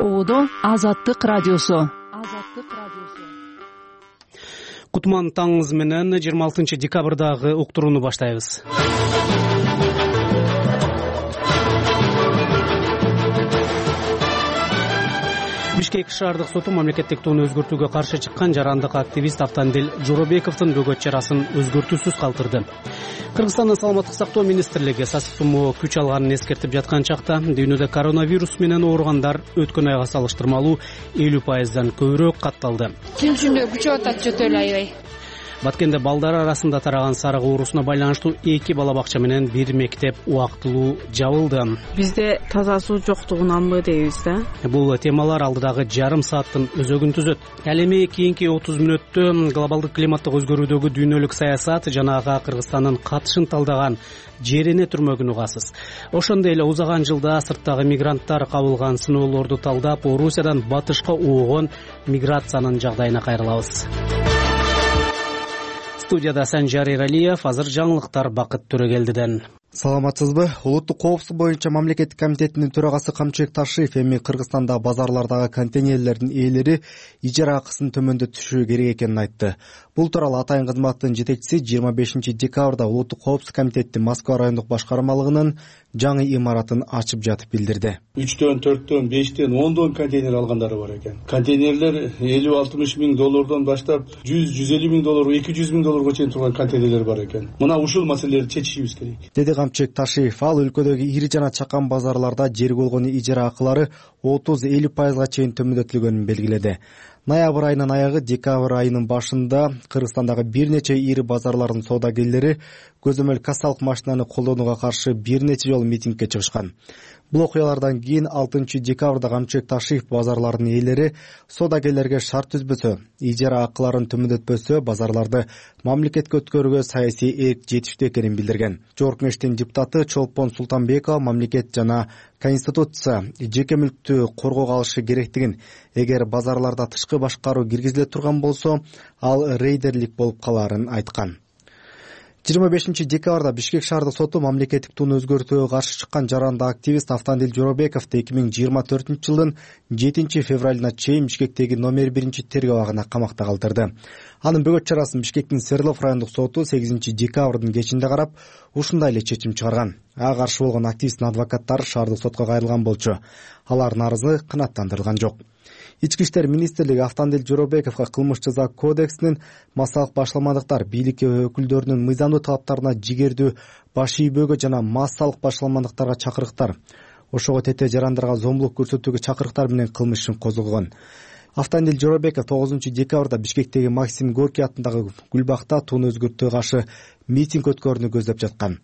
Оодо Азаттык радиосу. Кутман таңыңыз менен 26 декабрдагы уктурууну баштайбыз. Бишкек шаардык соту мамлекеттик тууну өзгөртүүгө каршы чыккан жарандык активист Автандил Жоробековдун бөгөт чарасын өзгөртүүсүз калтырды. Кыргызстандын саламаттык сактоо министрлиги сасык тумоо күч алганын эскертип жаткан чакта дүйнөдө коронавирус менен ооругандар өткөн айга салыштырмалуу 50% көбүрөөк катталды. Күнчүндө күчөп атат жөтө эле аябай. Баткенде балдар арасында тараган сарык оорусуна байланыштуу 2 бала бакча менен 1 мектеп убактылуу жабылды. Бизде таза суу жоктугунанбы дейбиз да. Бул темалар алдыдагы жарым сааттын өзөгүн түзөт. Ал эми кийинки 30 мүнөттө глобалдык климаттык өзгөрүүдөгү дүйнөлүк саясат жана ага Кыргызстандын катышын талдаган жерине түрмөгүн угасыз. Ошондой эле узаган жылда сырттагы мигранттар кабылган сыноолорду талдап, Орусиядан батышка оогон миграциянын жагдайына кайрылабыз. Студияда Санжар Эралиев, азыр жаңылыктар Бакыт Төрөгелдиден. Саламатсызбы? Улуттук коопсуздук боюнча мамлекеттик комитетинин төрагасы Камчыбек Ташиев эми Кыргызстанда базарлардагы контейнерлердин ээлери ижара акысын төмөндөтүшү керек экенин айтты. Бул тууралуу Атайын кызматтын жетекчиси 25 декабрда Улуттук коопсуздук комитеттин Москва райондук башкармалыгынын жаңы имаратын ачып жатып билдирди. 3төн, 4төн, 5тен, 10дон контейнер алгандары бар экен. Контейнерлер 50-60 миң доллардан баштап 100-150 миң доллар, 200 миң долларга чейин турган контейнерлер бар экен. Мына ушул маселелерди чечишибиз керек. Деди Камчыбек Ташиев. Ал өлкөдөгү ири жана чакан базарларда жер болгону ижара акылары 30-50%га чейин төмөндөтүлгөнүн белгиледи. Ноябрь айынын аягы, декабрь айынын башында Кыргызстандагы бир нече ири базарлардын соодагерлери көзөмөл кассалык машинаны колдонууга каршы бир нече жолу митингге чыгышкан. Бул окуялардан кийин 6 декабрда Камчыбек Ташиев базарлардын ээлери соодагерлерге шарт түзбөсө, ижара акыларын төмөндөтпөсө базарларды мамлекетке өткөрүүгө саясий эрк жетиштүү экенин билдирген. Жогорку Кеңештин депутаты Чолпон Султанбекова мамлекет жана Конституция жеке мүлктү коргоого алышы керектигин, эгер базарларда тышкы башкаруу киргизиле турган болсо, ал рейдерлик болуп калаарын айткан. 25 декабрда Бишкек шаардык соту мамлекеттик тууну өзгөртүүгө каршы чыккан жарандык активист Автандил Жоробековду 2024 жылдын 7 февралына чейин Бишкектеги номер 1 тергөө абагына камакта калтырды. Анын бөгөт чарасын Бишкектин Свердлов райондук соту 8 декабрдын кечинде карап, ушундай эле чечим чыгарган. Ага каршы болгон активисттин адвокаттары шаардык сотко кайрылган болчу. Алардын арызы канааттандырылган жок. Ички иштер министрлиги Автандил Жоробековго кылмыш жаза кодексинин массалык башаламандыктар, бийлик өкүлдөрүнүн мыйзамдуу талаптарына жигердүү баш ийбөөгө жана массалык башаламандыктарга чакырыктар, ошого тете жарандарга зомбулук көрсөтүүгө чакырыктар менен кылмыш ишин козгогон. Автандил Жоробеков 9 декабрда Бишкектеги Максим Горький атындагы Гүлбакта тууну өзгөртүүгө каршы митинг өткөрүүнү көздөп жаткан.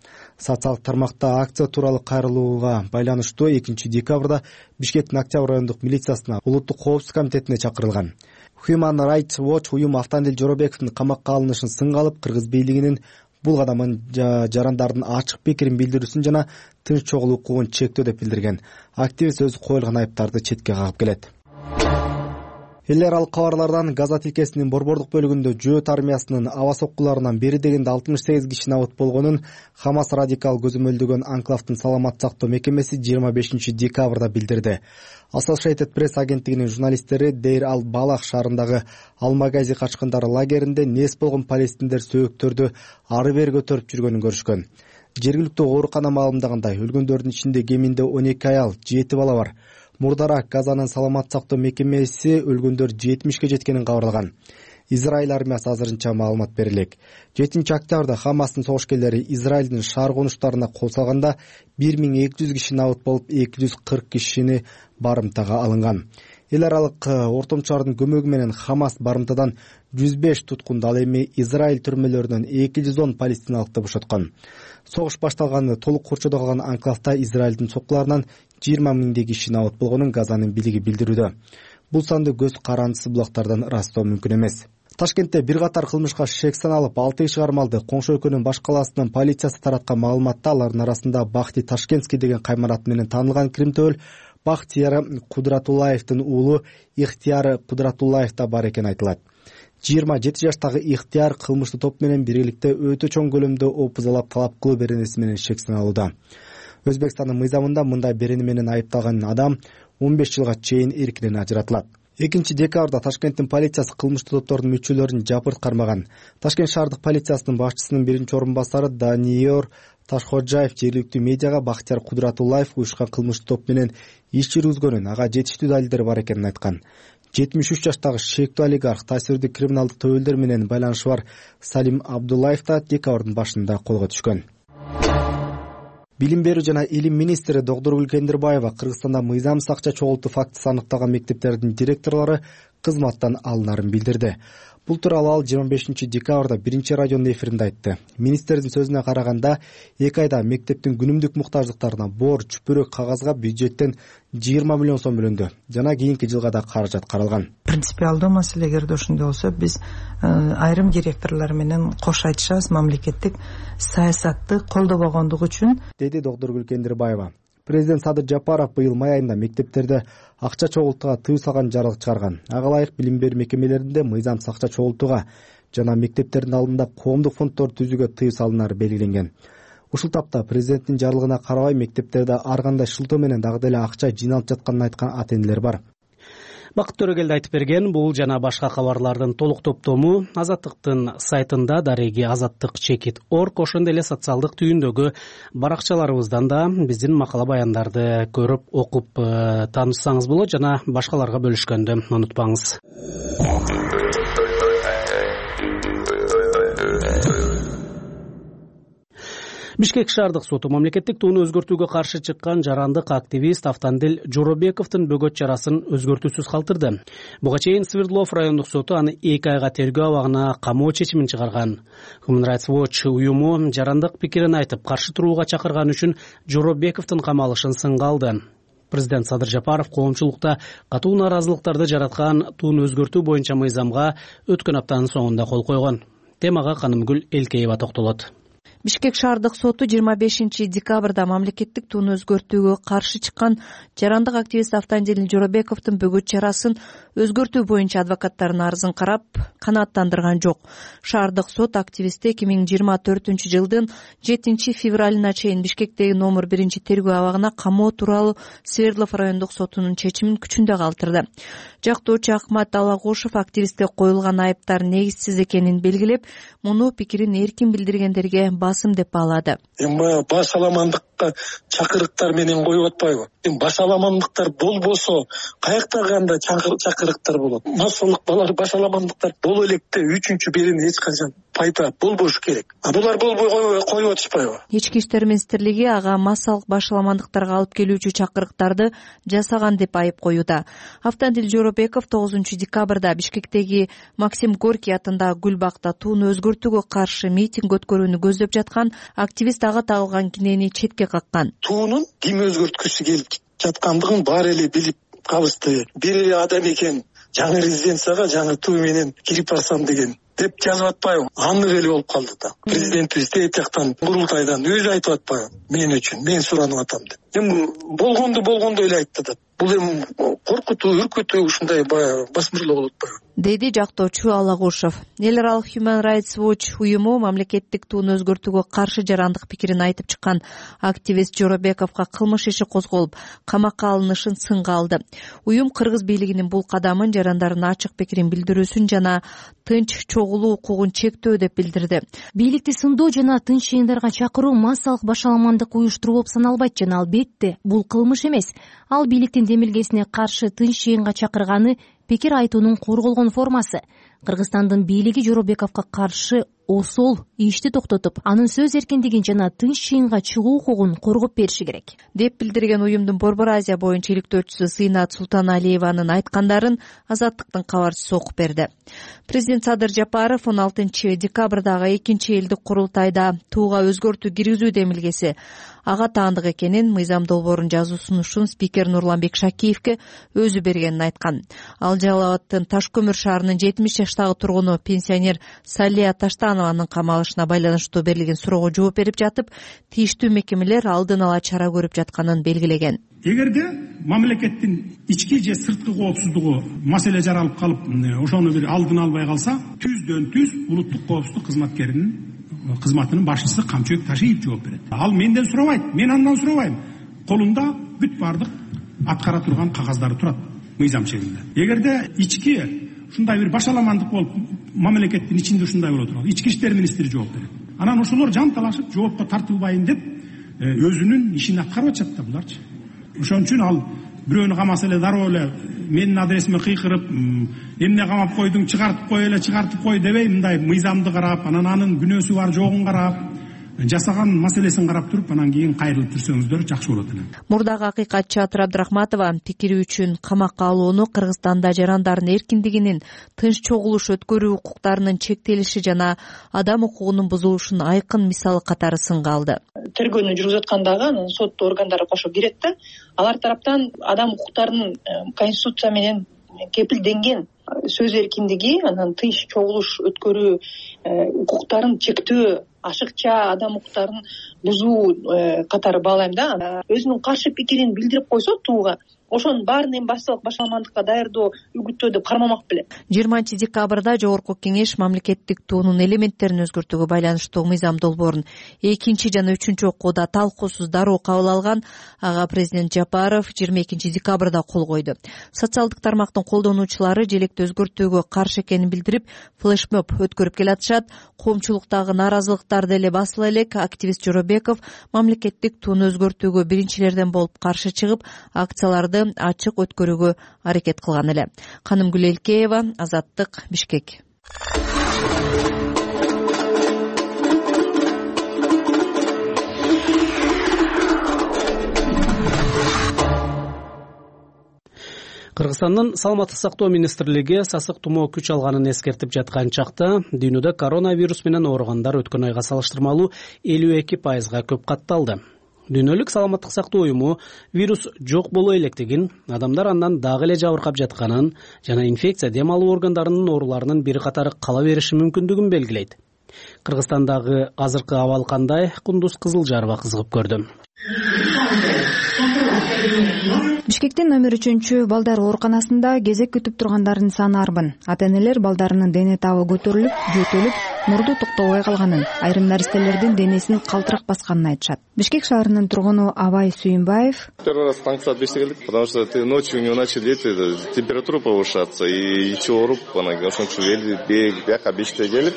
Социалдык тармакта акция тууралуу кайрылууга байланыштуу 2 декабрда Бишкектин Октябрь райондук милициясына Улуттук коопсуздук комитетине чакырылган. Human Rights Watch уюму Автандил Жоробековдун камакка алынышын сынга алып, кыргыз бийлигинин бул кадамын жарандардын ачык пикирин билдирүүсүн жана тынч чогуу укугун чектөө деп билдирген. Активист өзү коюлган айыптарды четке кагып келет. Эл аралык кабарлардан Газа тилкесинин борбордук бөлүгүндө жөөт армиясынын аба соккуларынан бери дегенде 68 киши абот болгонун Хамас радикал көзөмөлдөгөн анклавдын саламаттык сактоо мекемеси 25 декабрда билдирди. Associated Press агенттигинин журналисттери Дейр ал-Балах шаарындагы Ал-Магази качкындары лагеринде нес болгон палестиндер сөөктөрдү ары бери көтөрүп жүргөнүн көрүшкөн. Жергиликтүү оорукана маалымдагандай, өлгөндөрдүн ичинде кеминде 12 аял, 7 бала бар. Мурдараак Газанын саламаттык сактоо мекемеси өлгөндөр 70ке жеткенин кабарлаган. Израиль армиясы азырынча маалымат берилек. 7 октябрда Хамастын согушкерлери Израилдин шаар конуштарына кол салганда 1200 киши абот болуп, 240 кишини барымтага алынган. Эл аралык ортомчулардын көмөгү менен Хамас барымтадан 105 туткунду, ал эми Израиль түрмөлөрүнөн 210 палестиналыкты бошоткон. Согуш башталганы толук курчоодо калган анклавда Израилдин соккуларынан 20 миңдей киши абот болгонун Газанын бийлиги билдирүүдө. Бул санды көз карандысы булактардан ырастоо мүмкүн эмес. Ташкентте бир катар кылмышка шек саналып 6 киши кармалды. Коңшу өлкөнүн баш калаасынын полициясы тараткан маалыматта алардын арасында Бахти Ташкентский деген каймарат менен таанылган кримтөөл Бахтияр Кудратуллаевдин уулу Ихтияр Кудратуллаев да бар экени айтылат. 27 жаштагы Ихтияр кылмыштуу топ менен биргеликте өтө чоң көлөмдө опузалап талап кылуу беренеси менен шек саналууда. Өзбекстандын мыйзамында мындай берени менен айыпталган адам 15 жылга чейин эркинен ажыратылат. 2-декабрда Ташкенттин полициясы кылмыштуу топтордун мүчөлөрүн жапырт кармаган. Ташкент шаардык полициясынын башчысынын биринчи орун басары Даниор Ташходжаев жергиликтүү медиага Бактияр Кудратуллаев уюшкан кылмыштуу топ менен иш жүргүзгөнүн, ага жетиштүү далилдер бар экенин айткан. 73 жаштагы шектүү олигарх, таасирдүү криминалдык төбөлдөр менен байланышы бар Салим Абдуллаев да декабрдын башында колго түшкөн. Билим берүү жана илим министри Догдургүл Кендирбаева Кыргызстанда мыйзамсыз акча чогултуу фактысы аныкталган мектептердин директорлору кызматтан алынарын билдирди. Бул тууралуу ал 25 декабрда биринчи радионун эфиринде айтты. Министрдин сөзүнө караганда, 2 айда мектептин күнүмдүк муктаждыктарына борч, чүпүрөк кагазга бюджеттен 20 миллион сом бөлүндү. Жана кийинки жылга да каражат каралган. Принципиалдуу маселе эгерде ошондой болсо, биз айрым директорлор менен кош айтышабыз мамлекеттик саясатты колдобогондугу үчүн, деди Догдургүл Кендирбаева. Президент Садыр Жапаров быйыл май айында мектептерде акча чогултууга тыюу салган жарлык чыгарган. Ага ылайык билим берүү мекемелеринде мыйзамсыз акча чогултууга жана мектептердин алдында коомдук фонддорду түзүүгө тыюу салынары белгиленген. Ушул тапта президенттин жарлыгына карабай мектептерде ар кандай шылтоо менен дагы деле акча жыйналып жатканын айткан ата-энелер бар. Бакыт Төрөгелди айтып берген. Бул жана башка кабарлардын толук топтому Азаттыктын сайтында дареги azattik.org, ошондой эле социалдык түйүндөгү баракчаларыбыздан да биздин макала баяндарды көрүп, окуп таанышсаңыз болот, жана башкаларга бөлүшкөндү унутпаңыз. Бишкек шаардык соту мамлекеттик тууну өзгөртүүгө каршы чыккан жарандык активист Автандил Жоробековдун бөгөт чарасын өзгөртүүсүз калтырды. Буга чейин Свердлов райондук соту аны 2 айга тергөө абагына камоо чечимин чыгарган. Human Rights Watch уюму жарандык пикирин айтып, каршы турууга чакырган үчүн Жоробековдун камалышын сынга алды. Президент Садыр Жапаров коомчулукта катуу нааразылыктарды жараткан тууну өзгөртүү боюнча мыйзамга өткөн аптанын соңунда кол койгон. Темага Канымгүл Элкеева токтолот. Бишкек шаардык соту 25 декабрда мамлекеттик тууну өзгөртүүгө каршы чыккан жарандык активист Автандил Жоробековдун бөгөт чарасын өзгөртүү боюнча адвокаттардын арызын карап, канааттандырган жок. Шаардык сот активистти 2024 жылдын 7 февралына чейин Бишкектеги номер 1 тергөө абагына камоо тууралуу Свердлов райондук сотунун чечимин күчүндө калтырды. Жактоочу Акмат Алагушев активистке коюлган айыптар негизсиз экенин белгилеп, муну пикирин эркин билдиргендерге басым деп баалады. Эми баш аламандыкка чакырыктар менен коюп атпайбы? Баш аламандыктар болбосо каякта кандай чакырыктар болот? Массалык баш аламандыктар боло электе үчүнчү биринин эч качан пайда болбошу керек. Булар болбой коюп атышпайбы? Ички иштер министрлиги ага массалык баш аламандыктарга алып келүүчү чакырыктарды жасаган деп айып коюуда. Автандил Жоробеков 9 декабрда Бишкектеги Максим Горький атындагы Гүлбакта тууну өзгөртүүгө каршы митинг өткөрүүнү көздөп жаткан активист ага тагылган кинени четке каккан. Туунун ким өзгөрткүсү келип жаткандыгын баары эле билип калышты. Бир эле адам экен, жаңы резиденцияга жаңы туу менен кирип барсам деген деп жазып атпайбы? Аннык эле болуп калды да. Президентибиз тет жактан курултайдан өзү айтып атпайбы? Мен үчүн, мен суранып атам деп. Эми болгондой эле айтты да. Бул эми коркутуу, үркүтүү ушундай басмырлоо болуп атпайбы? Деди жактоочу Алагушев. Эл аралык Human Rights Watch уюму мамлекеттик тууну өзгөртүүгө каршы жарандык пикирин айтып чыккан активист Жоробековго кылмыш иши козголуп, камакка алынышын сынга алды. Уюм кыргыз бийлигинин бул кадамын жарандардын ачык пикирин билдирүүсүн жана тынч чогулуу укугун чектөө деп билдирди. Бийликти сындоо жана тынч жыйындарга чакыруу массалык башаламандык уюштуруу болуп саналбайт жана албетте бул кылмыш эмес. Ал бийликтин демилгесине каршы тынч жыйынга чакырганы пикир айтуунун корголгон формасы. Кыргызстандын бийлиги Жоробековго каршы осол ишти токтотуп, анын сөз эркиндигин жана тынч жыйынга чыгуу укугун коргоп бериши керек деп билдирген уюмдун Борбор Азия боюнча иликтөөчүсү Зыйнат Султаналиеванын айткандарын Азаттыктын кабарчысы окуп берди. Президент Садыр Жапаров 16 декабрдагы 2 элдик курултайда тууга өзгөртүү киргизүү демилгеси ага таандык экенин мыйзам долбоорун жазуу сунушун спикер Нурланбек Шакиевке өзү бергенин айткан. Ал Жалал Абадтын Ташкөмүр шаарынын 70 жаштагы тургуну пенсионер Салия Таштанованын камалышына байланыштуу берилген суроого жооп берип жатып, тийиштүү мекемелер алдын ала чара көрүп жатканын белгилеген. Эгерде мамлекеттин ички же сырткы коопсуздугу маселе жаралып калып, ошону бир алдын албай калса, түздөн түз улуттук коопсуздук кызматкеринин кызматынын башчысы Камчыбек Ташиев жооп берет. Ал менден сурабайт, мен андан сурабайм. Колунда бүт бардык аткара турган кагаздары турат мыйзам шегинде. Эгерде ички ушундай бир башаламандык болуп мамлекеттин ичинде ушундай боло турган ички иштер министри жооп берет. Анан ошолор жанталашып жоопко тартылбайын деп өзүнүн ишин аткарып атышат да буларчы. Ошон үчүн ал бирөөнү камаса эле дароо эле менин адресиме кыйкырып эмне камап койдуң, чыгартып кой эле, чыгартып кой дебей, мындай мыйзамды карап, анан анын күнөөсү бар жогун карап, жасаган маселесин карап туруп, анан кийин кайрылып жүрсөңүздөр жакшы болот эле. Мурдагы акыйкатчы Атыр Абдрахматова пикири үчүн камакка алууну Кыргызстанда жарандардын эркиндигинин, тынч чогулуш өткөрүү укуктарынын чектелиши жана адам укугунун бузулушунун айкын мисалы катары сынга алды. Тергөөнү жүргүзүп аткандагы анын сот органдары кошо кирет да, алар тараптан адам укуктарынын конституция менен кепилденген сөз эркиндиги, анан тынч чогулуш өткөрүү укуктарын чектөө, ашыкча адам укуктарын бузуу катары баалайм да. Өзүнүн каршы пикирин билдирип койсо тууга, ошонун баарын эми башаламандыкка даярдоо үгүттөө деп кармамак беле. 20 декабрда Жогорку Кеңеш мамлекеттик туунун элементтерин өзгөртүүгө байланыштуу мыйзам долбоорун экинчи жана үчүнчү окууда талкуусуз дароо кабыл алган. Ага президент Жапаров 22 декабрда кол койду. Социалдык тармактын колдонуучулары желекти өзгөртүүгө каршы экенин билдирип, флешмоб өткөрүп келатышат. Коомчулуктагы нааразылыктар деле басыла элек. Активист Жоробеков мамлекеттик тууну өзгөртүүгө биринчилерден болуп каршы чыгып, акцияларды ачык өткөрүүгө аракет кылган эле. Канымгүл Элкеева, Азаттык, Бишкек. Кыргызстандын саламаттык сактоо министрлиги сасык тумоо күч алганын эскертип жаткан чакта дүйнөдө коронавирус менен ооругандар өткөн айга салыштырмалуу 52% көп катталды. Дүйнөлүк саламаттык сактоо уюму вирус жок боло электигин, адамдар андан дагы эле жабыркап жатканын жана инфекция дем алуу органдарынын ооруларынын бир катары кала бериши мүмкүндүгүн белгилейт. Кыргызстандагы азыркы абал кандай? Кундуз Кызылжарова кызыгып көрдү. Бишкектин номер 3 балдар ооруканасында кезек күтүп тургандардын саны арбын. Ата-энелер балдарынын дене табы көтөрүлүп, жөтөлүп, мурду токтобой калганын, айрым наристелердин денесин калтырак басканын айтышат. Бишкек шаарынын тургуну Абай Сүйүнбаев: Первый раз таңғы саат 5-те келдик, потому что ночью у него начали температура повышаться и ичи ооруп, ошон үчүн бияка 5-те келип,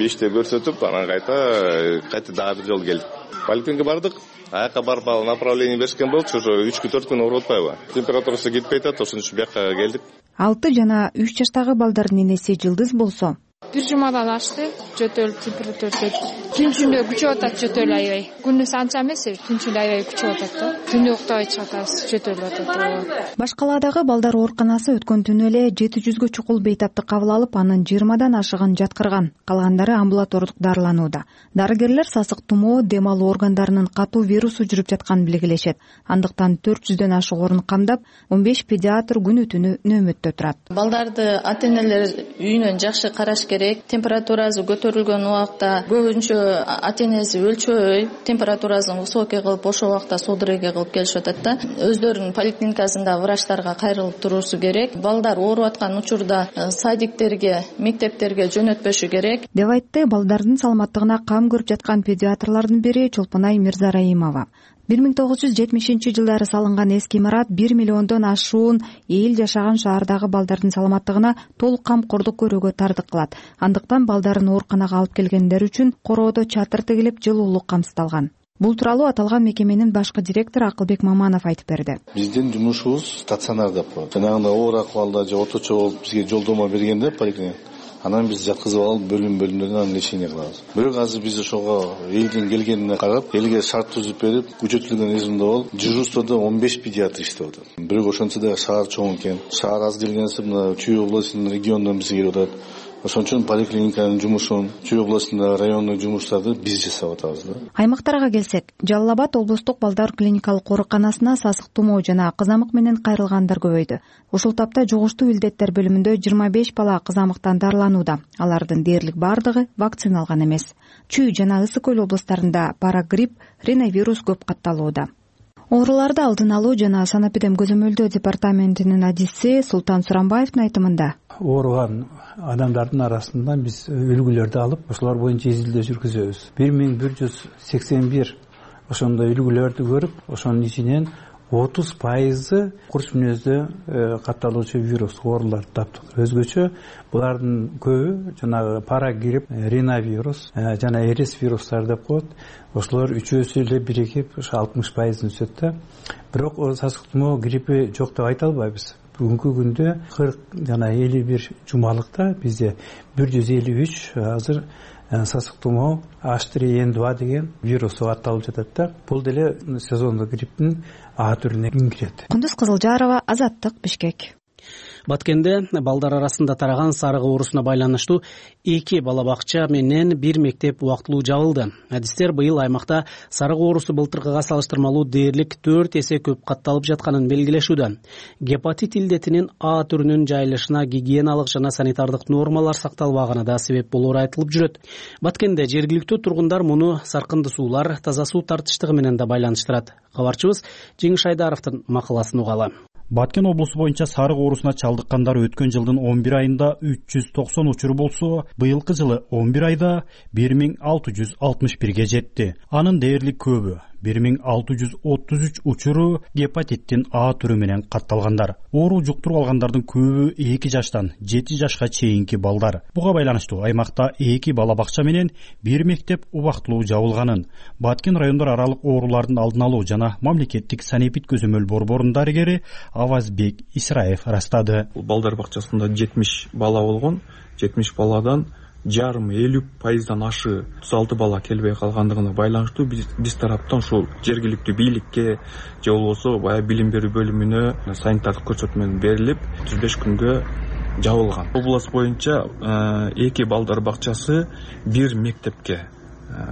5-те көрсөтүп, анан кайта дагы бир жолу келдик. Поликлиникага бардык. Аяка барып направление беришкен болчу, уже 3-4 күн ооруп атпайбы? Температурасы кетпей атат, ошон үчүн бияка келдик. 6 жана 3 жаштагы балдардын энеси Жылдыз болсо, бир жумадан ашты, жөтөлүп температура түнчүндө күчөп атат, жөтөлүп аябай. Күндүз анча эмес, түнчүндө аябай күчөп атат да. Түндө уктабай чыгатабыз, жөтөлүп атат. Башкаладагы балдар ооруканасы өткөн түнү эле 700гө чукул бейтаптык кабыл алып, анын 20дан ашыгын жаткырган. Калгандары амбулатордук дарыланууда. Дарыгерлер сасык тумоо, дем алуу органдарынын катуу вирусу жүрүп жатканын белгилешет. Андыктан 400дөн ашык орун камдап, 15 педиатр күнү түнү нөөмөттө турат. Балдарды ата-энелер үйүнөн жакшы караш керек. Температурасы көтөрүлгөн убакта көбүнчө ата-энеси өлчөй, температурасын высокий кылып, ошол убакта судорога кылып келишип атат да. Өздөрүнүн поликлиникасында врачтарга кайрылып туруусу керек. Балдар ооруп аткан учурда садиктерге, мектептерге жөнөтпөшү керек, деп айтты балдардын саламаттыгына кам көрүп жаткан педиатрлардын бири Чолпонай Мирзараимова. 1970-жылдары салынган эски имарат 1 миллиондон ашуун эл жашаган шаардагы балдардын саламаттыгына толук камкордук көрүүгө тартык кылат. Андыктан балдарын ооруканага алып келгендер үчүн короодо чатыр тигилип, жылуулук камсыздалган. Бул тууралуу аталган мекеменин башкы директору Акылбек Маманов айтып берди. Биздин жумушубуз стационар деп коет. Жанагындай оор акыбалда же орточо болуп бизге жолдомо бергенде поликлиник, анан биз жаткызып алып бөлүмдөрдөн анан лечение кылабыз. Бирок азыр биз ошого элдин келгенине карап, элге шарт түзүп берип, күчөтүлгөн режимде болуп, дежурстводо 15 педиатр иштеп атат. Бирок ошончо да шаар чоң экен. Шаар аз келгенси мына Чүй областынын регионунан бизге келип атат. Ошон үчүн поликлиниканын жумушун, Чүй областындагы райондук жумуштарды биз жасап атабыз да. Аймактарга келсек, Жалал Абад облустук балдар клиникалык ооруканасына сасык тумоо жана кызамык менен кайрылгандар көбөйдү. Ушул тапта жугуштуу илдеттер бөлүмүндө 25 бала кызамыктан дарыланууда. Алардын дээрлик бардыгы вакциналган эмес. Чүй жана Ысык Көл облустарында парагрипп, риновирус көп катталууда. Ооруларды алдын алуу жана санэпидем көзөмөлдөө департаментинин адиси Султан Сурамбаевдин айтымында, ооруган адамдардын арасынан биз үлгүлөрдү алып, ошолор боюнча изилдөө жүргүзөбүз. 1181 ошондой үлгүлөрдү көрүп, ошонун ичинен 30% курч мүнөздө катталуучу вирус ооруларды таптык. Өзгөчө булардын көбү жанагы парагрипп, риновирус жана эрис вирустар деп коет. Ошолор үчөөсү эле биригип 60% өсөт да. Бирок сасык тумоо гриппи жок деп айта албайбыз. Бүгүнкү күндө 40 жана 51 жумалыкта бизде 153 азыр сасык тумоо H3N2 деген вирус деп аталып жатат да. Бул деле сезондук грипптин А түрүнө кирет. Кундуз Кызылжарова, Азаттык, Бишкек. Баткенде балдар арасында тараган сарык оорусуна байланыштуу 2 бала бакча менен 1 мектеп убактылуу жабылды. Адистер быйыл аймакта сарык оорусу былтыркыга салыштырмалуу дээрлик 4 эсе көп катталып жатканын белгилешүүдө. Гепатит илдетинин А түрүнүн жайылышына гигиеналык жана санитардык нормалар сакталбаганы да себеп болоору айтылып жүрөт. Баткенде жергиликтүү тургундар муну саркынды суулар, таза суу тартыштыгы менен да байланыштырат. Кабарчыбыз Жеңиш Айдаровдун макаласын угалы. Баткен облусу боюнча сарык оорусуна чалдыккандар өткөн жылдын 11 айында 390 учур болсо, быйылкы жылы 11 айда 1661ге жетти. Анын дээрлик көбү 1633 учуру гепатиттин А түрү менен катталгандар. Оору жуктуруп алгандардын көбү 2 жаштан 7 жашка чейинки балдар. Буга байланыштуу аймакта 2 бала бакча менен 1 мектеп убактылуу жабылганын Баткен райондор аралык оорулардын алдын алуу жана мамлекеттик санэпид көзөмөл борборунун дарыгери Авазбек Исраев ырастады. Балдар бакчасында 70 бала болгон. 70 баладан жарым 50% ашы 36 бала келбей калгандыгына байланыштуу биз тараптан ушул жергиликтүү бийликке же болбосо баягы билим берүү бөлүмүнө санитардык көрсөтмө берилип 35 күнгө жабылган. Область боюнча 2 балдар бакчасы 1 мектепке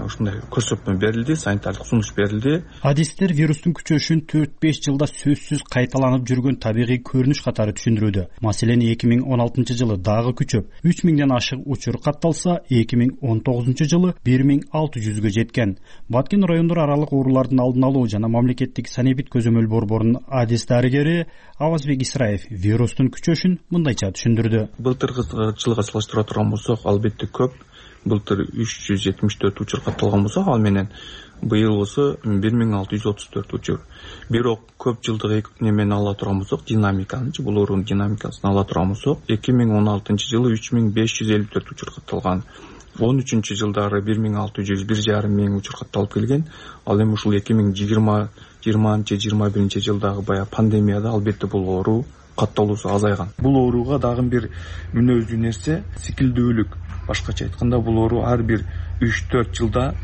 ушундай көрсөтмө берилди, санитардык сунуш берилди. Адистер вирустун күчөшүн 4-5 жылда сөзсүз кайталанып жүргөн табигый көрүнүш катары түшүндүрүүдө. Маселен, 2016 жылы дагы күчөп 3000ден ашык учур катталса, 2019 жылы 1600гө жеткен. Баткен райондор аралык оорулардын алдын алуу жана мамлекеттик санэпид көзөмөл борборунун адис дарыгери Авазбек Исраев вирустун күчөшүн мындайча түшүндүрдү. Былтыркы жылга салыштыра турган болсок, албетте көп. Былтыр 374 учур катталган болсо, ал менен быйыл болсо 1634 учур. Бирок көп жылдык немени ала турган болсок, динамиканычы, бул оорунун динамикасын ала турган болсок, 2016 жылы 3554 учур катталган. 13 жылдары 1600-1,5 учур катталып келген. Ал эми ушул 2020-21 жылдагы баягы пандемияда албетте бул оору катталуусу азайган. Бул ооруга дагы бир мүнөздүү нерсе сикилдүүлүк. Башкача айтканда, бул оору ар бир 3-4 жылда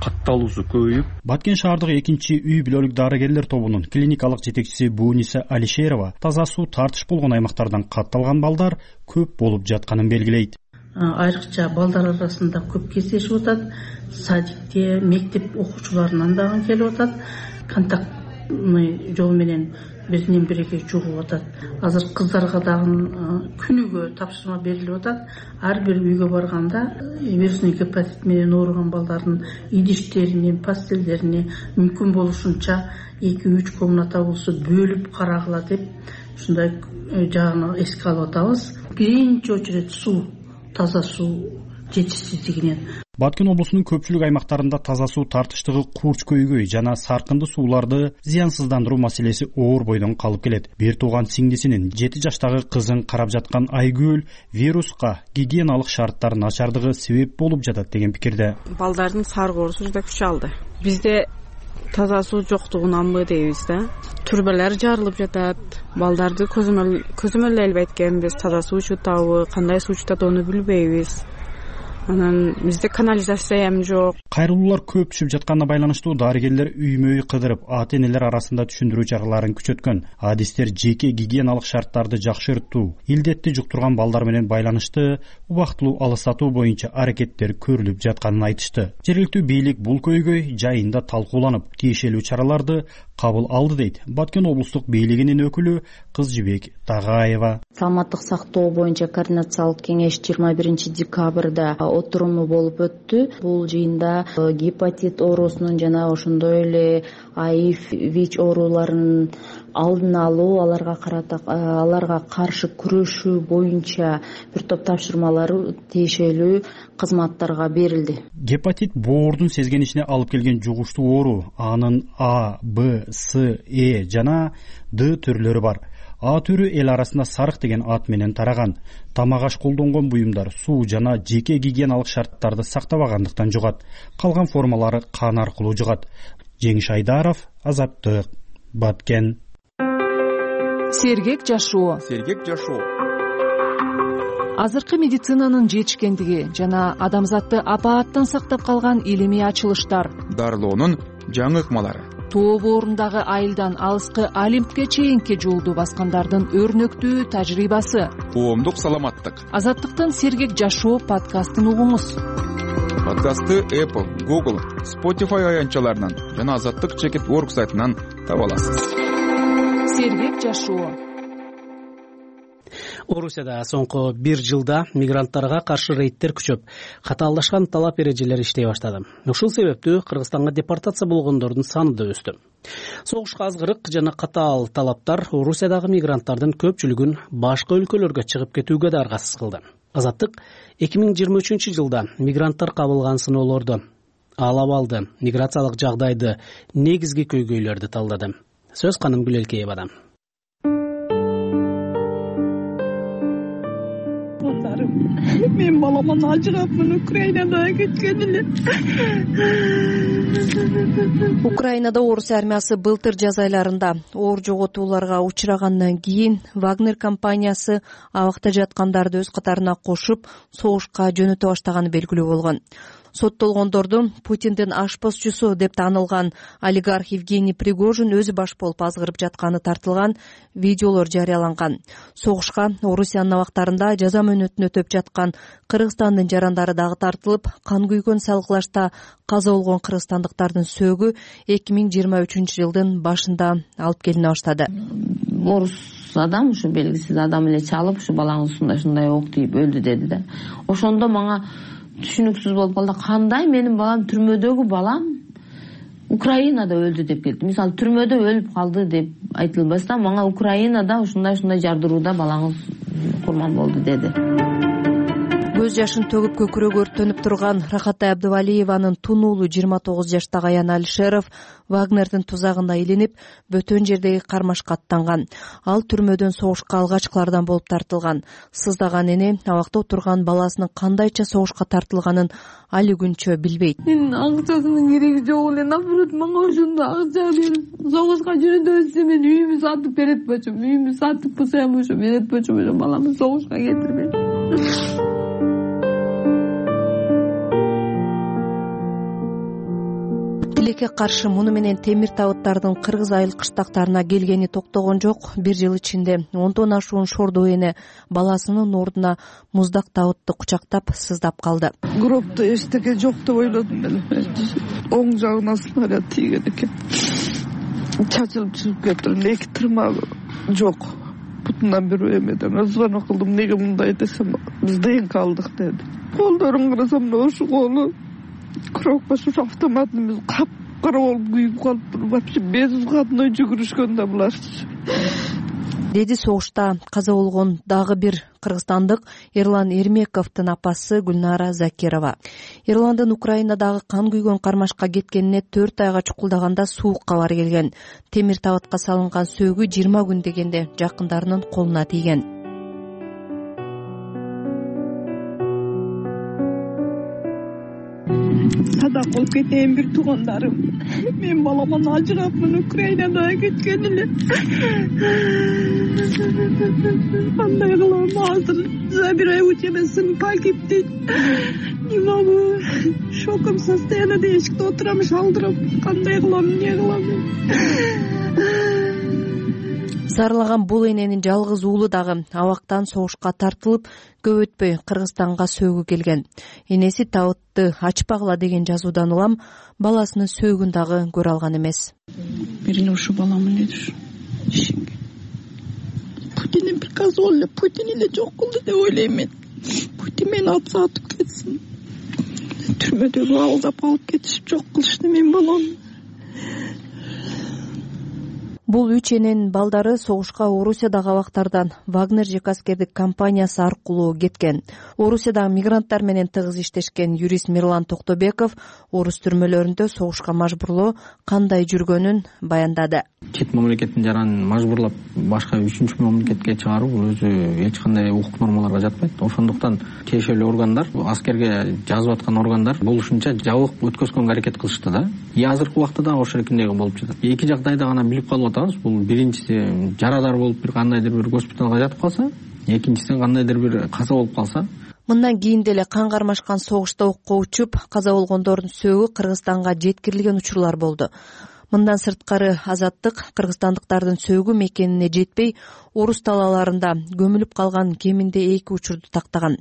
катталуусу көбөйүп. Баткен шаардык 2-үй бүлөлүк дарыгерлер тобунун клиникалык жетекчиси Буниса Алишерова таза суу тартыш болгон аймактардан катталган балдар көп болуп жатканын белгилейт. Айрыкча балдар арасында көп кездешип атат. Садикте, мектеп окуучуларынан дагы келип атат. Контактный жол менен биринен бириге жугуп атат. Азыр кыздарга дагы күнүгө тапшырма берилип атат. Ар бир үйгө барганда вирусный гепатит менен ооруган балдардын идиштерине, пастелдерине мүмкүн болушунча 2-3 комната болсо бөлүп карагыла деп ушундай жагын эске алып атабыз. Биринчи очередь суу, таза суу жетишсиздигинен. Баткен облусунун көпчүлүк аймактарында таза суу тартыштыгы курч көйгөй жана саркынды сууларды зыянсыздандыруу маселеси оор бойдон калып келет. Бир тууган сиңдисинин 7 жаштагы кызын карап жаткан Айгүл вируска гигиеналык шарттар начардыгы себеп болуп жатат деген пикирде. Балдардын сарык оорусу жада күч алды. Бизде таза суу жоктугунанбы дейбиз да. Турбалар жарылып жатат. Балдарды көзөмөлдөй эткенбиз. Таза суу ичүтабы, кандай суу ичүтат аны билбейбиз. Анан бизде канализация эм жок. Кайрылуулар көп түшүп жатканына байланыштуу дарыгерлер үймө-үй кыдырып, ата-энелер арасында түшүндүрүү чараларын күчөткөн. Адистер жеке гигиеналык шарттарды жакшыртуу, илдетти жуктурган балдар менен байланышты убактылуу алыстатуу боюнча аракеттер көрүлүп жатканын айтышты. Жергиликтүү бийлик бул көйгөй жайында талкууланып, тиешелүү чараларды кабыл алды дейт Баткен облустук бийлигинин өкүлү Кызжыбек Тагаева. Саламаттык сактоо боюнча координациялык кеңеш 21 декабрда отуруму болуп өттү. Бул жыйында гепатит оорусунун жана ошондой эле АИФ, ВИЧ ооруларынын алдын алуу, аларга каршы күрөшүү боюнча бир топ тапшырмалар тиешелүү кызматтарга берилди. Гепатит боордун сезгенишине алып келген жугуштуу оору. Анын А, Б, С, Э жана Д түрлөрү бар. А түрү эл арасында сарык деген ат менен тараган. Тамак аш колдонгон буюмдар суу жана жеке гигиеналык шарттарды сактабагандыктан жугат. Калган формалары кан аркылуу жугат. Жеңиш Айдаров, Азаттык, Баткен. Сергек жашоо. Азыркы медицинанын жетишкендиги жана адамзатты апааттан сактап калган илимий ачылыштар. Дарылоонун жаңы ыкмалары. Тоо боорундагы айылдан алыскы Олимпке чейинки жолду баскандардын өрнөктүү тажрыйбасы. Коомдук саламаттык. Азаттыктын Сергек жашоо подкастын угуңуз. Подкастты Apple, Google, Spotify аянтчаларынан жана Азаттык.org сайтынан таба аласыз. Сергек жашоо. Орусияда соңку бир жылда мигранттарга каршы рейдтер күчөп, катаалдашкан талап эрежелери иштей баштады. Ушул себептүү Кыргызстанга депортация болгондордун саны да өстү. Согушка азгырык жана катаал талаптар Орусиядагы мигранттардын көпчүлүгүн башка өлкөлөргө чыгып кетүүгө да аргасыз кылды. Азаттык 2023 жылда мигранттар кабылган сыноолорду алып алды, миграциялык жагдайды, негизги көйгөйлөрдү талдады. Сөз Канымгүл Элкеевада. Мен баламан ажырапмын, Украинада кеткен эле. Украинада орус армиясы былтыр жаз айларында оор жоготууларга учурагандан кийин Вагнер компаниясы абакта жаткандарды өз катарына кошуп, согушка жөнөтө баштаганы белгилүү болгон. Соттолгондорду Путиндин ашпозчусу деп таанылган олигарх Евгений Пригожин өзү баш болуп азгырып жатканы тартылган видеолор жарыяланган. Согушка Орусиянын абактарында жаза мөөнөтүн өтөп жаткан Кыргызстандын жарандары дагы тартылып, кан күйгөн салгылашта каза болгон кыргызстандыктардын сөөгү 2023 жылдын башында алып келине баштады. Орус адам, ушу белгисиз адам эле чалып, ушу балаңыз ушундай ок тийип өлдү деди да. Ошондо мага түшүнүксүз болуп калды. Кандай менин балам, түрмөдөгү балам Украинада өлдү деп келди. Мисалы, түрмөдө өлүп калды деп айтылбаса, мага Украинада ушундай жардырууда балаңыз курман болду деди. Көз жашын төгүп көкүрөгү өрттөнүп турган Рахатай Абдывалиеванын тун уулу 29 жаштагы Аян Алишеров Вагнердин тузагына илинип, бөтөн жердеги кармашка аттанган. Ал түрмөдөн согушка алгачкылардан болуп тартылган. Сыздаган эне абакта отурган баласынын кандайча согушка тартылганын али күнчө билбейт. Мен акчасынын кереги жок эле, наоборот, мага ошондо акча берип, согушка жөнөтөбүз, мен үйүмдү сатып берет болчумун. Үйүмдү сатып кылсам ошо берет болчумун, баламды согушка кетирбейт. Тилекке каршы муну менен темир табыттардын кыргыз айыл кыштактарына келгени токтогон жок. Бир жыл ичинде 10 ашуун шордо эне баласынын ордуна муздак табытты кучактап сыздап калды. Гробто эчтеке жок деп ойлодум мен. Оң жагына снаряд тийген экен. Чачылып чыгып кетти. Эки тырмагы жок. Бутунан бир эмеден звонок кылдым. Неге мындай десем, биз ДНК алдык деди. Колдорун карасам, ошо колу кропкасы автоматыбыз капкара болуп күйүп калыптыр. Вообще безвыходной жүгүрүшкөн да булар. Деди согушта каза болгон дагы бир кыргызстандык Эрлан Эрмековдун апасы Гүлнара Закирова. Эрландын Украинадагы кан күйгөн кармашка кеткенине 4 айга чукулдаганда суук кабар келген. Темир табытка салынган сөөгү 20 күн дегенде жакындарынын колуна тийген. Садак болуп кетейин бир туугандарым. Мен баламан ажырапмын, Украинада кеткен эле. Кандай кылам азыр? Забирай у тебя сын погиб дейт. Не могу. В шоковом состоянии эшикте отурам, шалдырап. Кандай кылам, эмне кылам? Зарлаган бул эненин жалгыз уулу дагы абактан согушка тартылып, көп өтпөй Кыргызстанга сөөгү келген. Энеси табытты ачпагыла деген жазуудан улам баласынын сөөгүн дагы көрө алган эмес. Бирин ушу балам эле душ. Путиндин приказы эле, Путин эле жок кылды деп ойлойм мен. Путин мени атып кетсин. Түрмөдөгү алдап алып кетишип жок кылышты мен балам. Бул үч эненин балдары согушка Орусиядагы абактардан Вагнер жеке аскердик компаниясы аркылуу кеткен. Орусиядагы мигранттар менен тыгыз иштешкен юрист Мирлан Токтобеков орус түрмөлөрүндө согушка мажбурлоо кандай жүргөнүн баяндады. Чет мамлекеттин жаранын мажбурлап башка үчүнчү мамлекетке чыгаруу бул өзү эч кандай укук нормаларга жатпайт. Ошондуктан тиешелүү органдар, аскерге жазып аткан органдар болушунча жабык өткөзгөнгө аракет кылышты да. Азыркы убакта да ошол шекилдеги болуп жатат. Эки жагдайда гана билип калып атабыз. Бул биринчиси жарадар болуп бир кандайдыр бир госпиталга жатып калса, экинчиси кандайдыр бир каза болуп калса. Мындан кийин деле кан кармашкан согушта окко учуп, каза болгондордун сөөгү Кыргызстанга жеткирилген учурлар болду. Мындан сырткары Азаттык кыргызстандыктардын сөөгү мекенине жетпей, орус талааларында көмүлүп калган кеминде 2 учурду тактаган.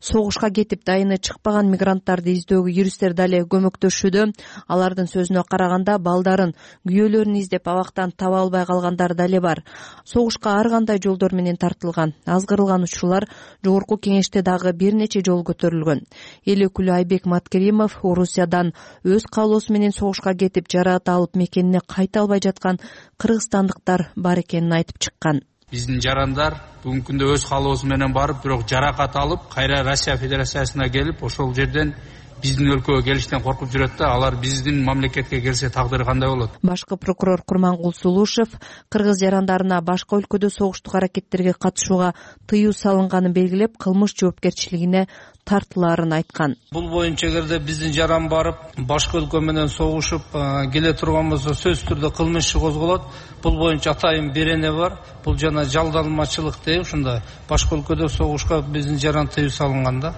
Согушка кетип дайыны чыкпаган мигранттарды издөөгө юристтер дале көмөктөшүүдө. Алардын сөзүнө караганда, балдарын, күйөөлөрүн издеп абактан таба албай калгандар дале бар. Согушка ар кандай жолдор менен тартылган, азгырылган учурлар жогорку кеңеште дагы бир нече жолу көтөрүлгөн. Эл өкүлү Айбек Маткеримов Орусиядан өз каалоосу менен согушка кетип жараат алып мекенине кайта албай жаткан кыргызстандыктар бар экенин айтып чыккан. Биздин жарандар бүгүнкү күндө өз каалоосу менен барып, бирок жаракат алып, кайра Россия Федерациясына келип, ошол жерден биздин өлкөгө келиштен коркуп жүрөт да, алар биздин мамлекетке келсе тагдыры кандай болот? Башкы прокурор Курмангул Сулушев кыргыз жарандарына башка өлкөдө согуштук аракеттерге катышууга тыюу салынганын белгилеп, кылмыш жоопкерчилигине тартылаарын айткан. Бул боюнча эгерде биздин жаран барып, башка өлкө менен согушуп келе турган болсо, сөзсүз түрдө кылмыш иши козголот. Бул боюнча атайын берене бар. Бул жана жалданмачылык деп, ушундай башка өлкөдө согушка биздин жаран тыюу салынган да.